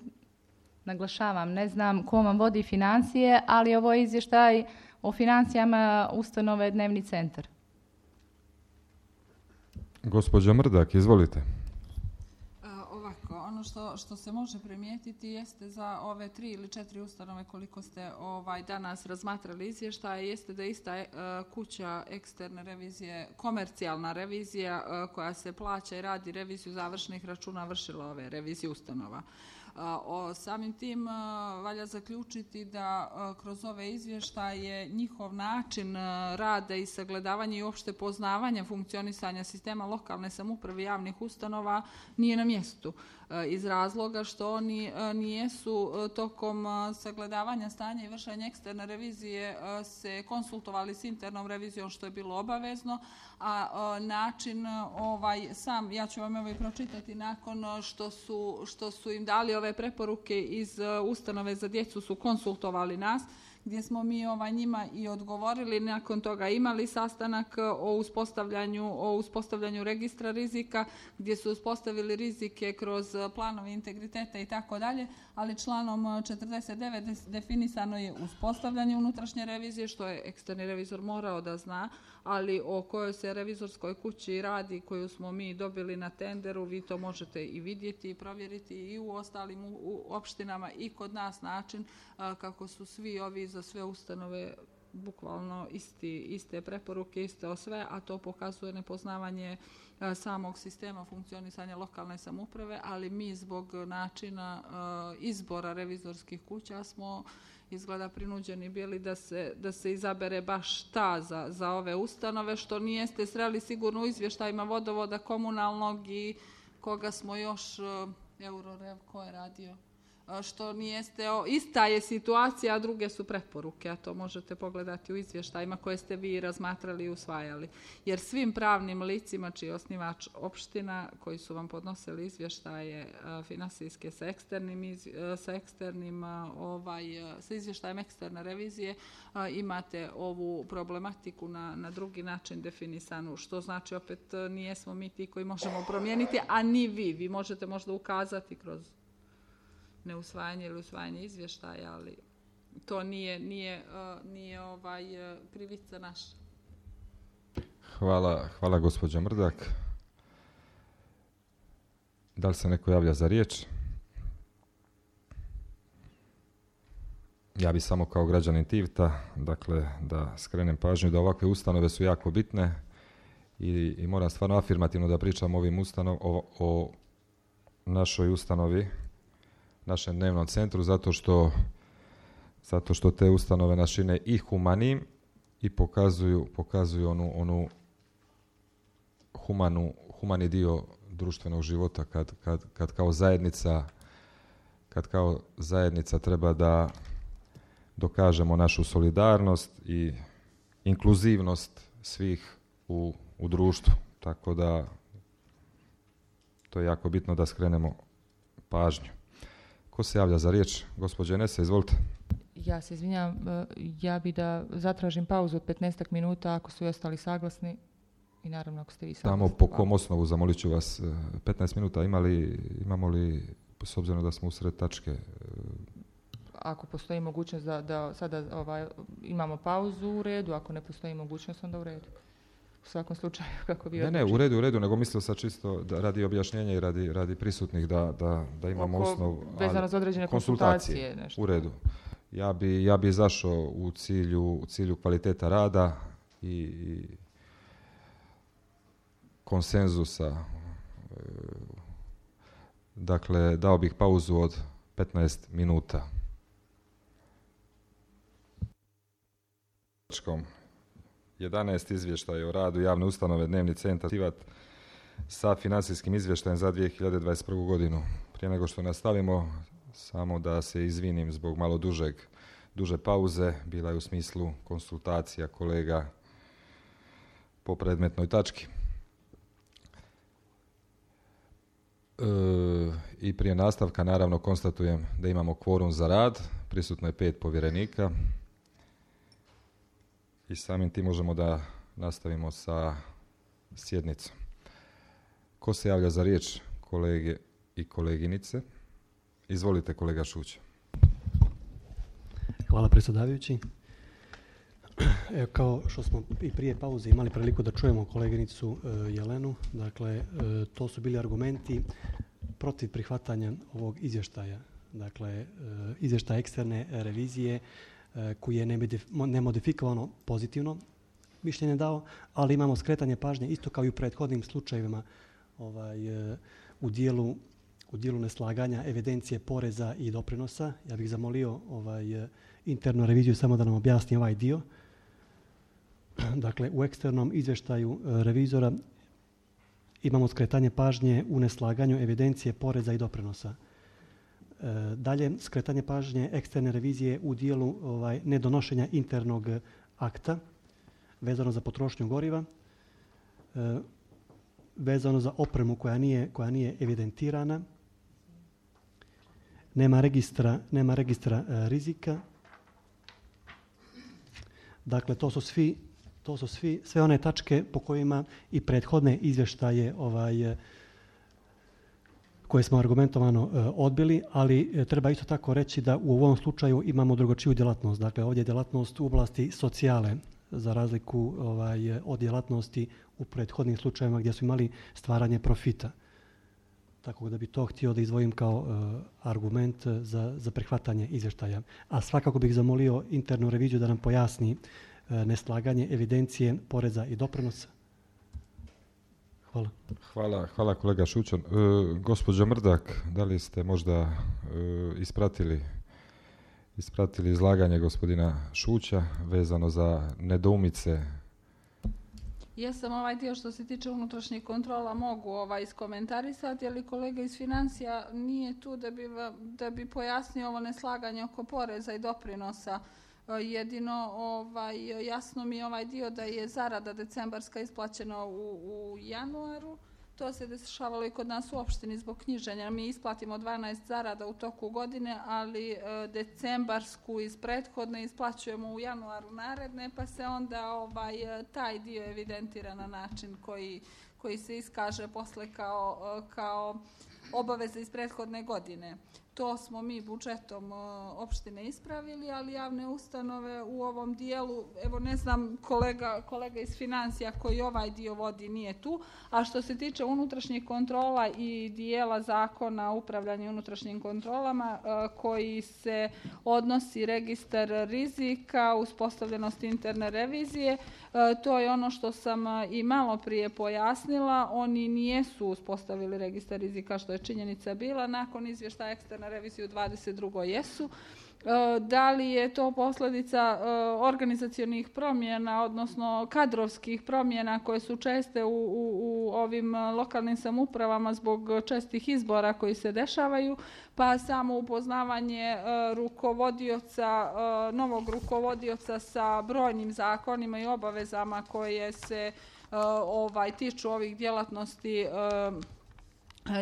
naglašavam, ne znam ko vam vodi financije, ali ovo je izvještaj o financijama ustanove Dnevni centar.
Gospođo Mrdak, izvolite.
Ono što, što se može primijetiti jeste za ove tri ili četiri ustanove koliko ste ovaj, danas razmatrali izvještaje, jeste da ista e, kuća eksterne revizije, komercijalna revizija e, koja se plaća i radi reviziju završnih računa vršila ove revizije ustanova. O samim tim valja zaključiti da kroz ove izvještaje njihov način rada i sagledavanja i uopšte poznavanja funkcionisanja sistema lokalne samouprave javnih ustanova nije na mjestu. Iz razloga što oni nijesu tokom sagledavanja stanja i vršenja eksterne revizije se konsultovali s internom revizijom što je bilo obavezno, a način ovaj sam, ja ću vam evo i pročitati, nakon što su, što su im dali ove preporuke iz ustanove za djecu su konsultovali nas, gdje smo mi ovaj, njima i odgovorili, nakon toga imali sastanak o uspostavljanju, o uspostavljanju registra rizika, gdje su uspostavili rizike kroz planove integriteta i tako dalje, ali članom četrdeset devet definisano je uspostavljanje unutrašnje revizije, što je eksterni revizor morao da zna, ali o kojoj se revizorskoj kući radi, koju smo mi dobili na tenderu, vi to možete i vidjeti i provjeriti i u ostalim u, u opštinama i kod nas način a, kako su svi ovi za sve ustanove bukvalno isti, iste preporuke, iste o sve, a to pokazuje nepoznavanje a, samog sistema funkcionisanja lokalne samouprave, ali mi zbog načina a, izbora revizorskih kuća smo izgleda prinuđeni bili da se, da se izabere baš ta za, za ove ustanove, što nijeste sreli sigurno u izvještajima vodovoda komunalnog i koga smo još, Eurorev, ko je radio, što nijeste, ista je situacija, a druge su preporuke, a to možete pogledati u izvještajima koje ste vi razmatrali i usvajali. Jer svim pravnim licima čiji je osnivač opština koji su vam podnosili izvještaje finansijske sa eksternim, sa eksternim ovaj, sa izvještajem eksterne revizije, imate ovu problematiku na, na drugi način definisanu, što znači opet nijesmo mi ti koji možemo promijeniti, a ni vi. Vi možete možda ukazati kroz neusvajanje ili usvajanje izvještaja, ali to nije, nije, uh, nije ovaj, uh, krivica naša.
Hvala, hvala gospođo Mrdak. Da li se neko javlja za riječ? Ja bi samo kao građanin Tivta, dakle, da skrenem pažnju da ovakve ustanove su jako bitne i, i moram stvarno afirmativno da pričam ovim ustanov, o, o našoj ustanovi, našem dnevnom centru, zato što, zato što te ustanove nas čine i humanim i pokazuju, pokazuju onu, onu humanu, humani dio društvenog života kad, kad, kad kao zajednica kad kao zajednica treba da dokažemo našu solidarnost i inkluzivnost svih u, u društvu. Tako da to je jako bitno da skrenemo pažnju. Ko se javlja za riječ? Gospođa Enesa, izvolite.
Ja se izvinjam, ja bi da zatražim pauzu od petnaestak minuta ako su i ostali saglasni i naravno ako ste vi saglasni.
Tamo po kom osnovu, zamolit ću vas, petnaest minuta, ima li, imamo li, s obzirom da smo usred tačke?
Ako postoji mogućnost da, da sada ovaj, imamo pauzu u redu, ako ne postoji mogućnost onda u redu. u svakom slučaju kako vi
Ne, ne, u redu, u redu, nego mislio sam čisto da radi objašnjenja i radi, radi prisutnih da, da, da imamo
Oko,
osnov.
vezano za određene konsultacije. konsultacije nešto.
U redu. Ja bi, ja bi izašao u cilju, u cilju kvaliteta rada i, i konsenzusa. Dakle, dao bih pauzu od petnaest minuta. jedanaest izvještaja o radu javne ustanove Dnevni centar sa financijskim izvještajem za dvije hiljade dvadeset prvu godinu. Prije nego što nastavimo, samo da se izvinim zbog malo dužeg, duže pauze, bila je u smislu konsultacija kolega po predmetnoj tački. E, I prije nastavka naravno konstatujem da imamo kvorum za rad, prisutno je pet povjerenika i samim tim možemo da nastavimo sa sjednicom. Ko se javlja za riječ, kolege i koleginice? Izvolite, kolega Šuća.
Hvala predsjedavajući. Evo, kao što smo i prije pauze imali priliku da čujemo koleginicu e, Jelenu, dakle, e, to su bili argumenti protiv prihvatanja ovog izvještaja. Dakle, e, izvještaj eksterne revizije e, koji je nemodifikovano pozitivno mišljenje dao, ali imamo skretanje pažnje isto kao i u prethodnim slučajevima ovaj, e, u dijelu u dijelu neslaganja evidencije poreza i doprinosa. Ja bih zamolio ovaj, internu reviziju samo da nam objasni ovaj dio. Dakle, u eksternom izvještaju revizora imamo skretanje pažnje u neslaganju evidencije poreza i doprinosa. E, dalje, skretanje pažnje eksterne revizije u dijelu ovaj, nedonošenja internog akta vezano za potrošnju goriva, e, vezano za opremu koja nije, koja nije evidentirana, nema registra, nema registra e, rizika. Dakle, to su svi, to su svi, sve one tačke po kojima i prethodne izvještaje ovaj, koje smo argumentovano e, odbili, ali e, treba isto tako reći da u ovom slučaju imamo drugačiju djelatnost. Dakle, ovdje je djelatnost u oblasti socijale, za razliku ovaj, od djelatnosti u prethodnim slučajevima gdje su imali stvaranje profita. Tako da bi to htio da izdvojim kao uh, argument za, za prihvatanje izvještaja. A svakako bih zamolio internu reviziju da nam pojasni uh, neslaganje evidencije poreza i doprinosa. Hvala.
Hvala, hvala kolega Šućan. E, gospođo Mrdak, da li ste možda e, ispratili, ispratili izlaganje gospodina Šuća vezano za nedoumice?
Jesam, ovaj dio što se tiče unutrašnjih kontrola mogu ovaj iskomentarisati, ali kolega iz financija nije tu da bi, da bi pojasnio ovo neslaganje oko poreza i doprinosa. Jedino ovaj, jasno mi je ovaj dio da je zarada decembarska isplaćena u, u januaru. To se dešavalo i kod nas u opštini zbog knjiženja. Mi isplatimo dvanaest zarada u toku godine, ali e, decembarsku iz prethodne isplaćujemo u januaru naredne, pa se onda ovaj, taj dio evidentira na način koji, koji se iskaže posle kao, kao obaveza iz prethodne godine. To smo mi budžetom opštine ispravili, ali javne ustanove u ovom dijelu, evo ne znam, kolega, kolega iz financija koji ovaj dio vodi nije tu, a što se tiče unutrašnjih kontrola i dijela zakona o upravljanju unutrašnjim kontrolama koji se odnosi registar rizika, uspostavljenost interne revizije, to je ono što sam i malo prije pojasnila, oni nijesu uspostavili registar rizika što je činjenica bila, nakon izvještaja eksterne revizije u dvadeset drugoj jesu. Da li je to posljedica organizacionih promjena, odnosno kadrovskih promjena koje su česte u, u, u ovim lokalnim samoupravama zbog čestih izbora koji se dešavaju, pa samo upoznavanje rukovodioca, novog rukovodioca sa brojnim zakonima i obavezama koje se ovaj, tiču ovih djelatnosti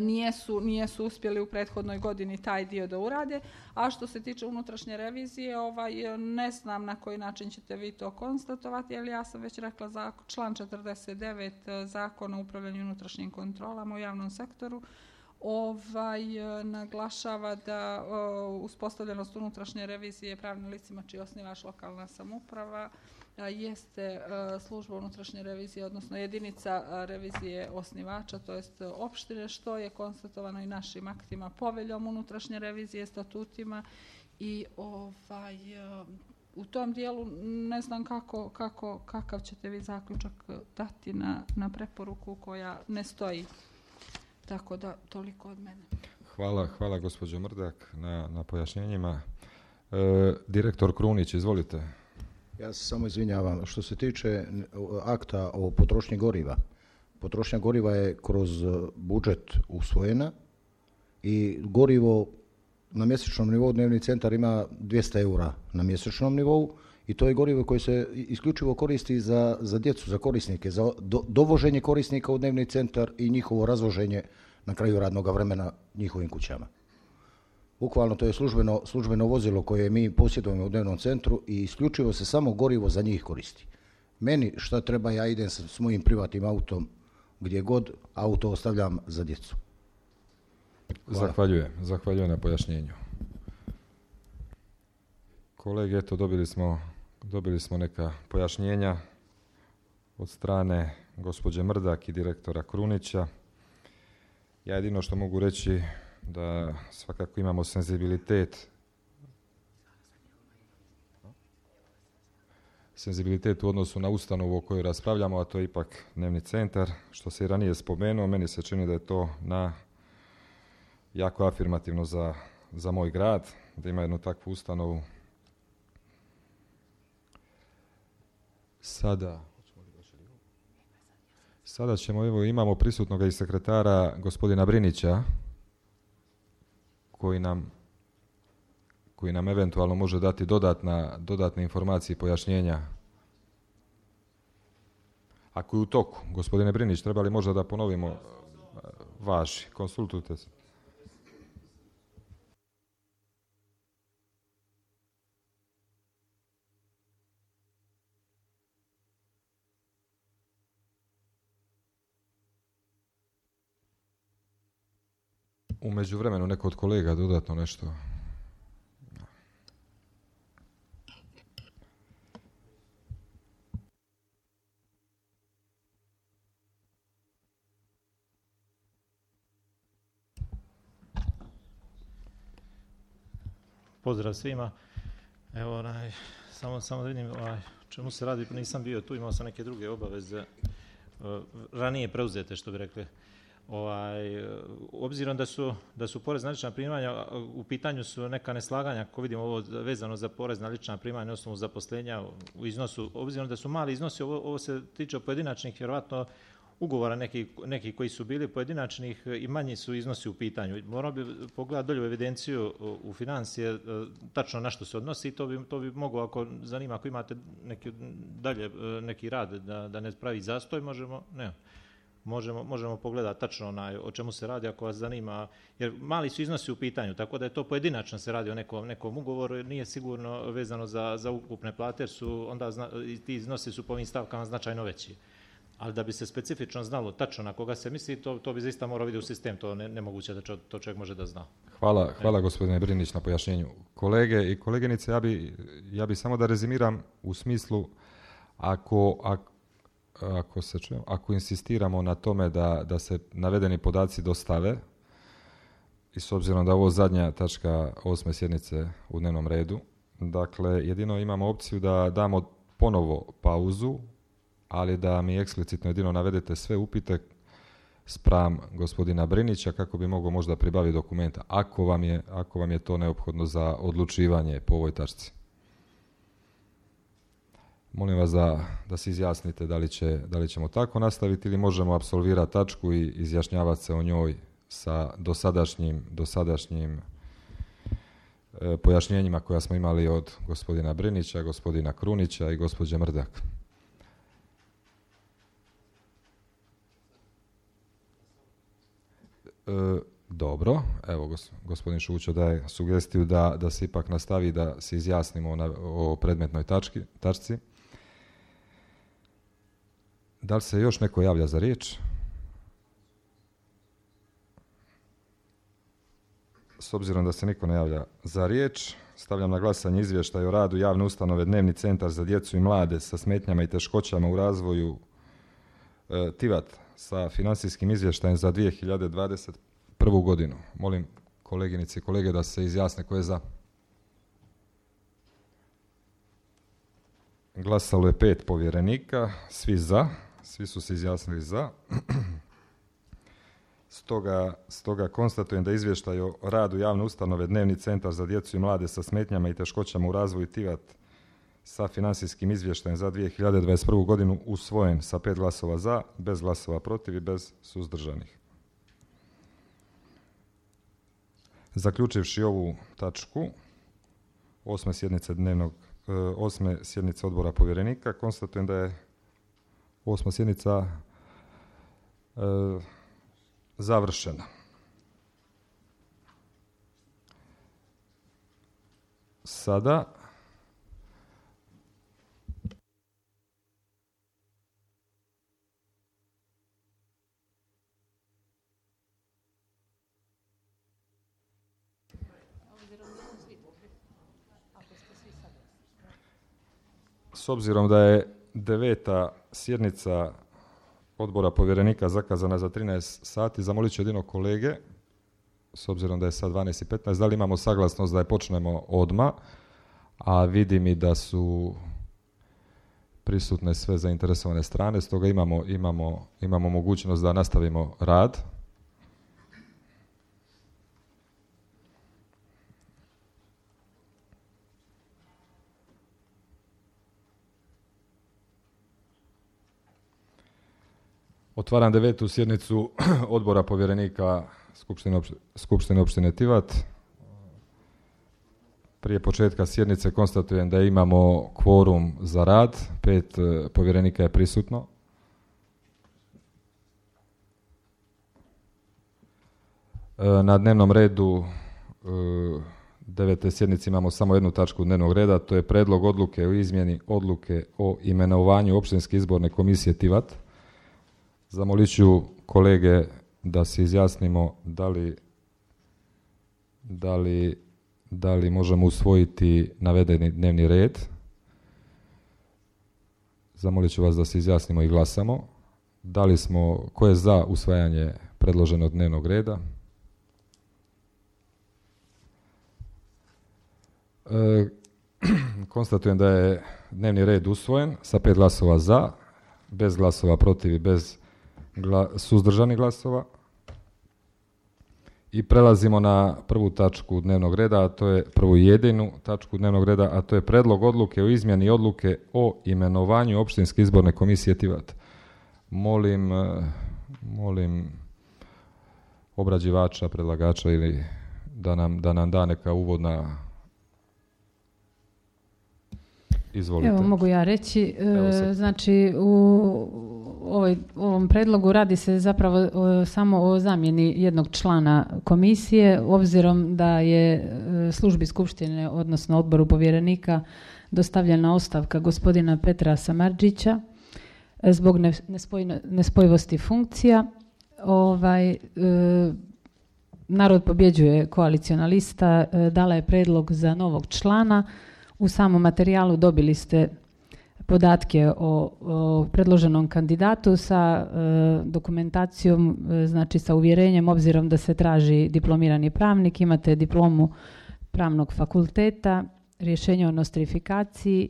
Nijesu, nijesu uspjeli u prethodnoj godini taj dio da urade, a što se tiče unutrašnje revizije, ovaj, ne znam na koji način ćete vi to konstatovati, ali ja sam već rekla za član četrdeset devet Zakona o upravljanju unutrašnjim kontrolama u javnom sektoru, ovaj, naglašava da uspostavljenost unutrašnje revizije pravnim licima čiji je osnivač lokalna samouprava jeste služba unutrašnje revizije, odnosno jedinica revizije osnivača, to jest opštine, što je konstatovano i našim aktima, poveljom unutrašnje revizije, statutima i ovaj, u tom dijelu ne znam kako, kako, kakav ćete vi zaključak dati na, na preporuku koja ne stoji. Tako da, toliko od mene.
Hvala, hvala gospođo Mrdak na, na pojašnjenjima. E, direktor Krunić, izvolite.
Ja se samo izvinjavam. Što se tiče akta o potrošnji goriva, potrošnja goriva je kroz budžet usvojena i gorivo na mjesečnom nivou dnevni centar ima dvjesto eura na mjesečnom nivou i to je gorivo koje se isključivo koristi za, za djecu, za korisnike, za do, dovoženje korisnika u dnevni centar i njihovo razvoženje na kraju radnog vremena njihovim kućama. Bukvalno to je službeno, službeno vozilo koje mi posjedujemo u dnevnom centru i isključivo se samo gorivo za njih koristi. Meni šta treba, ja idem s, s mojim privatnim autom gdje god, auto ostavljam za djecu. Hvala.
Zahvaljujem, zahvaljujem na pojašnjenju. Kolege, eto, dobili smo, dobili smo neka pojašnjenja od strane gospođe Mrdak i direktora Krunića. Ja jedino što mogu reći da svakako imamo senzibilitet senzibilitet u odnosu na ustanovu o kojoj raspravljamo, a to je ipak dnevni centar. Što se i ranije spomenuo, meni se čini da je to na jako afirmativno za, za moj grad, da ima jednu takvu ustanovu. Sada, sada ćemo, evo, imamo prisutnog i sekretara gospodina Brinića, koji nam, koji nam eventualno može dati dodatna, dodatne informacije i pojašnjenja. Ako je u toku, gospodine Brinić, treba li možda da ponovimo vaši, konsultujte se. U međuvremenu neko od kolega dodatno nešto.
Pozdrav svima. Evo, onaj, samo, samo da vidim ovaj, čemu se radi, nisam bio tu, imao sam neke druge obaveze, ranije preuzete, što bi rekli. Ovaj, obzirom da su, da su porez na lična primanja, u pitanju su neka neslaganja, ako vidimo ovo vezano za porez na lična primanja na osnovu zaposlenja u iznosu, obzirom da su mali iznosi, ovo, ovo se tiče pojedinačnih, vjerovatno ugovora neki, neki koji su bili pojedinačnih i manji su iznosi u pitanju. Morao bi pogledati dolje u evidenciju u financije, tačno na što se odnosi i to bi, to bi moglo, ako zanima, ako imate neki, dalje neki rad da, da ne pravi zastoj, možemo, ne. Možemo, možemo pogledati tačno onaj, o čemu se radi ako vas zanima, jer mali su iznosi u pitanju, tako da je to pojedinačno se radi o nekom, nekom ugovoru, jer nije sigurno vezano za, za ukupne plate, jer su onda zna, ti iznosi su po ovim stavkama značajno veći. Ali da bi se specifično znalo tačno na koga se misli, to, to bi zaista morao vidjeti u sistem, to ne, nemoguće da čo, to čovjek može da zna.
Hvala, hvala gospodine Brinić na pojašnjenju. Kolege i kolegenice, ja bi, ja bi samo da rezimiram u smislu, ako, ako Ako, se čujem, ako insistiramo na tome da, da se navedeni podaci dostave, i s obzirom da je ovo zadnja tačka osme sjednice u dnevnom redu, dakle, jedino imamo opciju da damo ponovo pauzu, ali da mi eksplicitno jedino navedete sve upite spram gospodina Brinića kako bi mogao možda pribaviti dokumenta, ako vam je, ako vam je to neophodno za odlučivanje po ovoj tačci. Molim vas da, da se izjasnite da li, će, da li ćemo tako nastaviti ili možemo apsolvirati tačku i izjašnjavati se o njoj sa dosadašnjim, dosadašnjim e, pojašnjenjima koja smo imali od gospodina Brinića, gospodina Krunića i gospođe Mrdak. E, dobro, evo gospodin Šućo daje sugestiju da, da se ipak nastavi da se izjasnimo na, o predmetnoj tački, tačci. Da li se još neko javlja za riječ? S obzirom da se niko ne javlja za riječ, stavljam na glasanje izvještaj o radu javne ustanove Dnevni centar za djecu i mlade sa smetnjama i teškoćama u razvoju e, Tivat sa financijskim izvještajem za dvije hiljade dvadeset prvu godinu. Molim koleginice i kolege da se izjasne ko je za. Glasalo je pet povjerenika, svi za, svi su se izjasnili za. Stoga, stoga konstatujem da izvještaj o radu javne ustanove Dnevni centar za djecu i mlade sa smetnjama i teškoćama u razvoju Tivat sa financijskim izvještajem za dvije hiljade dvadeset prvu godinu usvojen sa pet glasova za, bez glasova protiv i bez suzdržanih. Zaključivši ovu tačku osme sjednice dnevnog e, osme sjednice odbora povjerenika, konstatujem da je osma sjednica e, završena. Sada s obzirom da je deveta sjednica odbora povjerenika zakazana za trinaest sati, zamolit ću jedino kolege, s obzirom da je sad dvanaest i petnaest, da li imamo saglasnost da je počnemo odmah, a vidim i da su prisutne sve zainteresovane strane, stoga imamo, imamo, imamo mogućnost da nastavimo rad. Otvaram devetu sjednicu odbora povjerenika Skupštine, opš- Skupštine opštine Tivat. Prije početka sjednice konstatujem da imamo kvorum za rad, pet e, povjerenika je prisutno. E, na dnevnom redu e, devete sjednice imamo samo jednu tačku dnevnog reda, to je predlog odluke o izmjeni odluke o imenovanju općinske izborne komisije Tivat. Zamolit ću kolege da se izjasnimo da li, da li, da li možemo usvojiti navedeni dnevni red. Zamolit ću vas da se izjasnimo i glasamo. Da li smo, ko je za usvajanje predloženog dnevnog reda? E, konstatujem da je dnevni red usvojen sa pet glasova za, bez glasova protiv i bez Gla, suzdržani glasova. I prelazimo na prvu tačku dnevnog reda, a to je prvu jedinu tačku dnevnog reda, a to je predlog odluke o izmjeni odluke o imenovanju općinske izborne komisije Tivat. Molim, molim obrađivača, predlagača ili da nam, da nam da neka uvodna. Izvolite.
Evo mogu ja reći, e, znači u ovoj, ovom predlogu radi se zapravo o, samo o zamjeni jednog člana komisije, obzirom da je e, službi skupštine, odnosno odboru povjerenika, dostavljena ostavka gospodina Petra Samardžića e, zbog ne, nespojno, nespojivosti funkcija. Ovaj, e, Narod pobjeđuje koaliciona lista, e, dala je predlog za novog člana. U samom materijalu dobili ste podatke o, o predloženom kandidatu sa e, dokumentacijom, e, znači sa uvjerenjem, obzirom da se traži diplomirani pravnik, imate diplomu pravnog fakulteta, rješenje o nostrifikaciji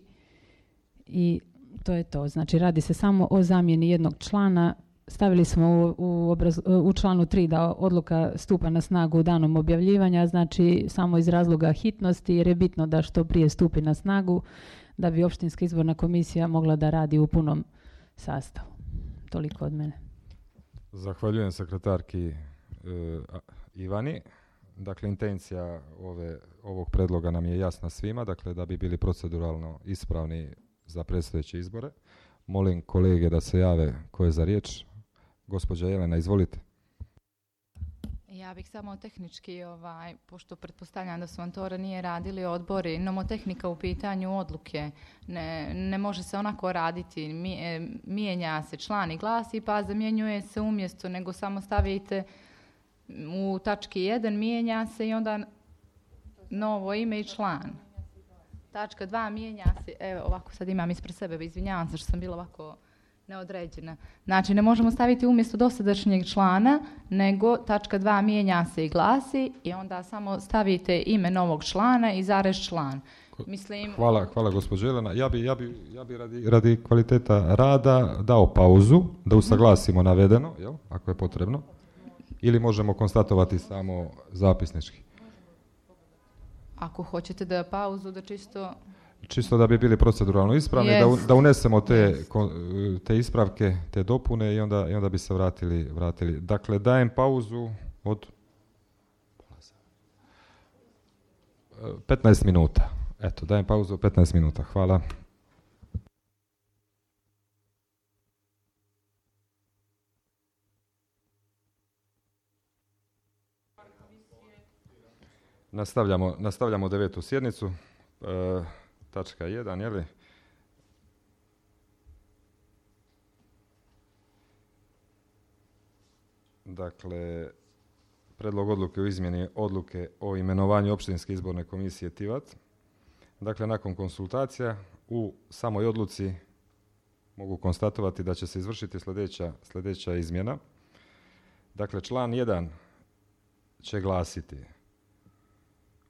i to je to. Znači radi se samo o zamjeni jednog člana. Stavili smo u, u, obraz, u članu tri da odluka stupa na snagu danom objavljivanja, znači samo iz razloga hitnosti, jer je bitno da što prije stupi na snagu da bi općinska izborna komisija mogla da radi u punom sastavu. Toliko od mene.
Zahvaljujem sekretarki e, Ivani. Dakle, intencija ove, ovog predloga nam je jasna svima, dakle da bi bili proceduralno ispravni za predstojeće izbore. Molim kolege da se jave ko je za riječ. Gospođa Jelena, izvolite.
Ja bih samo tehnički, ovaj, pošto pretpostavljam da su vam to ranije radili odbori, nomotehnika u pitanju odluke. Ne, ne može se onako raditi, Mi, e, mijenja se član i glasi pa zamjenjuje se umjesto, nego samo stavite U tački jedan mijenja se i onda novo ime i član. Tačka dva mijenja se, evo ovako sad imam ispred sebe, izvinjavam se što sam bila ovako neodređena. Znači ne možemo staviti umjesto dosadašnjeg člana, nego tačka dva mijenja se i glasi i onda samo stavite ime novog člana i zarez član. Mislim...
Hvala, hvala gospođo Jelena. Ja bi, ja bi, ja bi radi, radi kvaliteta rada dao pauzu, da usaglasimo navedeno, jel, ako je potrebno, ili možemo konstatovati samo zapisnički.
Ako hoćete da pauzu, da čisto...
Čisto da bi bili proceduralno ispravni, yes. da, da unesemo te, yes. te ispravke, te dopune i onda, i onda bi se vratili, vratili. Dakle, dajem pauzu od petnaest minuta. Eto, dajem pauzu od petnaest minuta. Hvala. Nastavljamo, nastavljamo devetu sjednicu. E, Tačka jedan, je li? Dakle, predlog odluke o izmjeni odluke o imenovanju općinske izborne komisije Tivat. Dakle, nakon konsultacija u samoj odluci mogu konstatovati da će se izvršiti sljedeća, sljedeća izmjena. Dakle, član jedan će glasiti: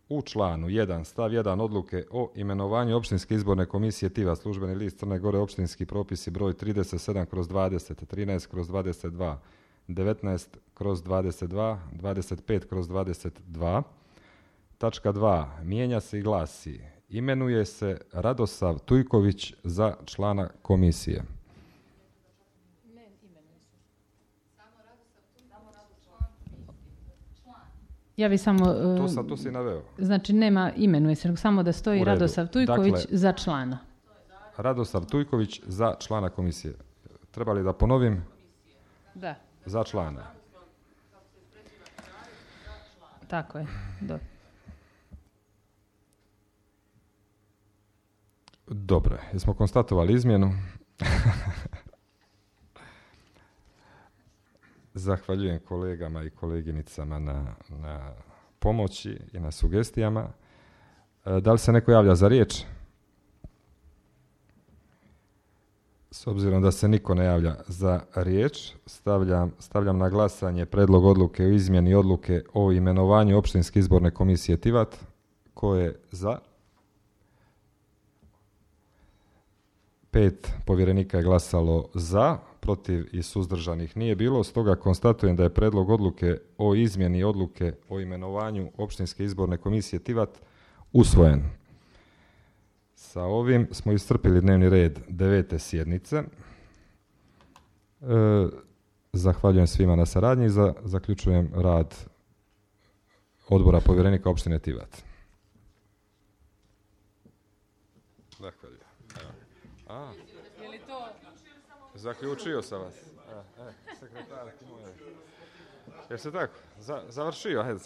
u članu jedan stav jedan odluke o imenovanju općinske izborne komisije Tivat, službeni list Crne Gore, općinski propisi broj trideset sedam kroz dvadeset, trinaest kroz dvadeset dva, devetnaest kroz dvadeset dva, dvadeset pet kroz dvadeset dva. Tačka dva mijenja se i glasi: imenuje se Radosav Tujković za člana komisije.
Ja bi samo...
To, sam, to si naveo.
Znači nema imenuje se, samo da stoji Radosav Tujković dakle, za člana.
Radosav Tujković za člana komisije. Treba li da ponovim?
Da.
Za člana.
Tako je. Do.
Dobro, jesmo konstatovali izmjenu. Zahvaljujem kolegama i koleginicama na, na pomoći i na sugestijama. E, da li se neko javlja za riječ? S obzirom da se niko ne javlja za riječ, stavljam, stavljam na glasanje predlog odluke o izmjeni odluke o imenovanju općinske izborne komisije Tivat. Ko je za? Pet povjerenika je glasalo za, protiv i suzdržanih nije bilo, stoga konstatujem da je predlog odluke o izmjeni odluke o imenovanju općinske izborne komisije Tivat usvojen. Sa ovim smo iscrpili dnevni red devete sjednice. E, zahvaljujem svima na saradnji i za, zaključujem rad odbora povjerenika opštine Tivat. Zahvaljujem. A, zaključio sam vas. E, e, sekretar, jer se tako, za, završio, ajde.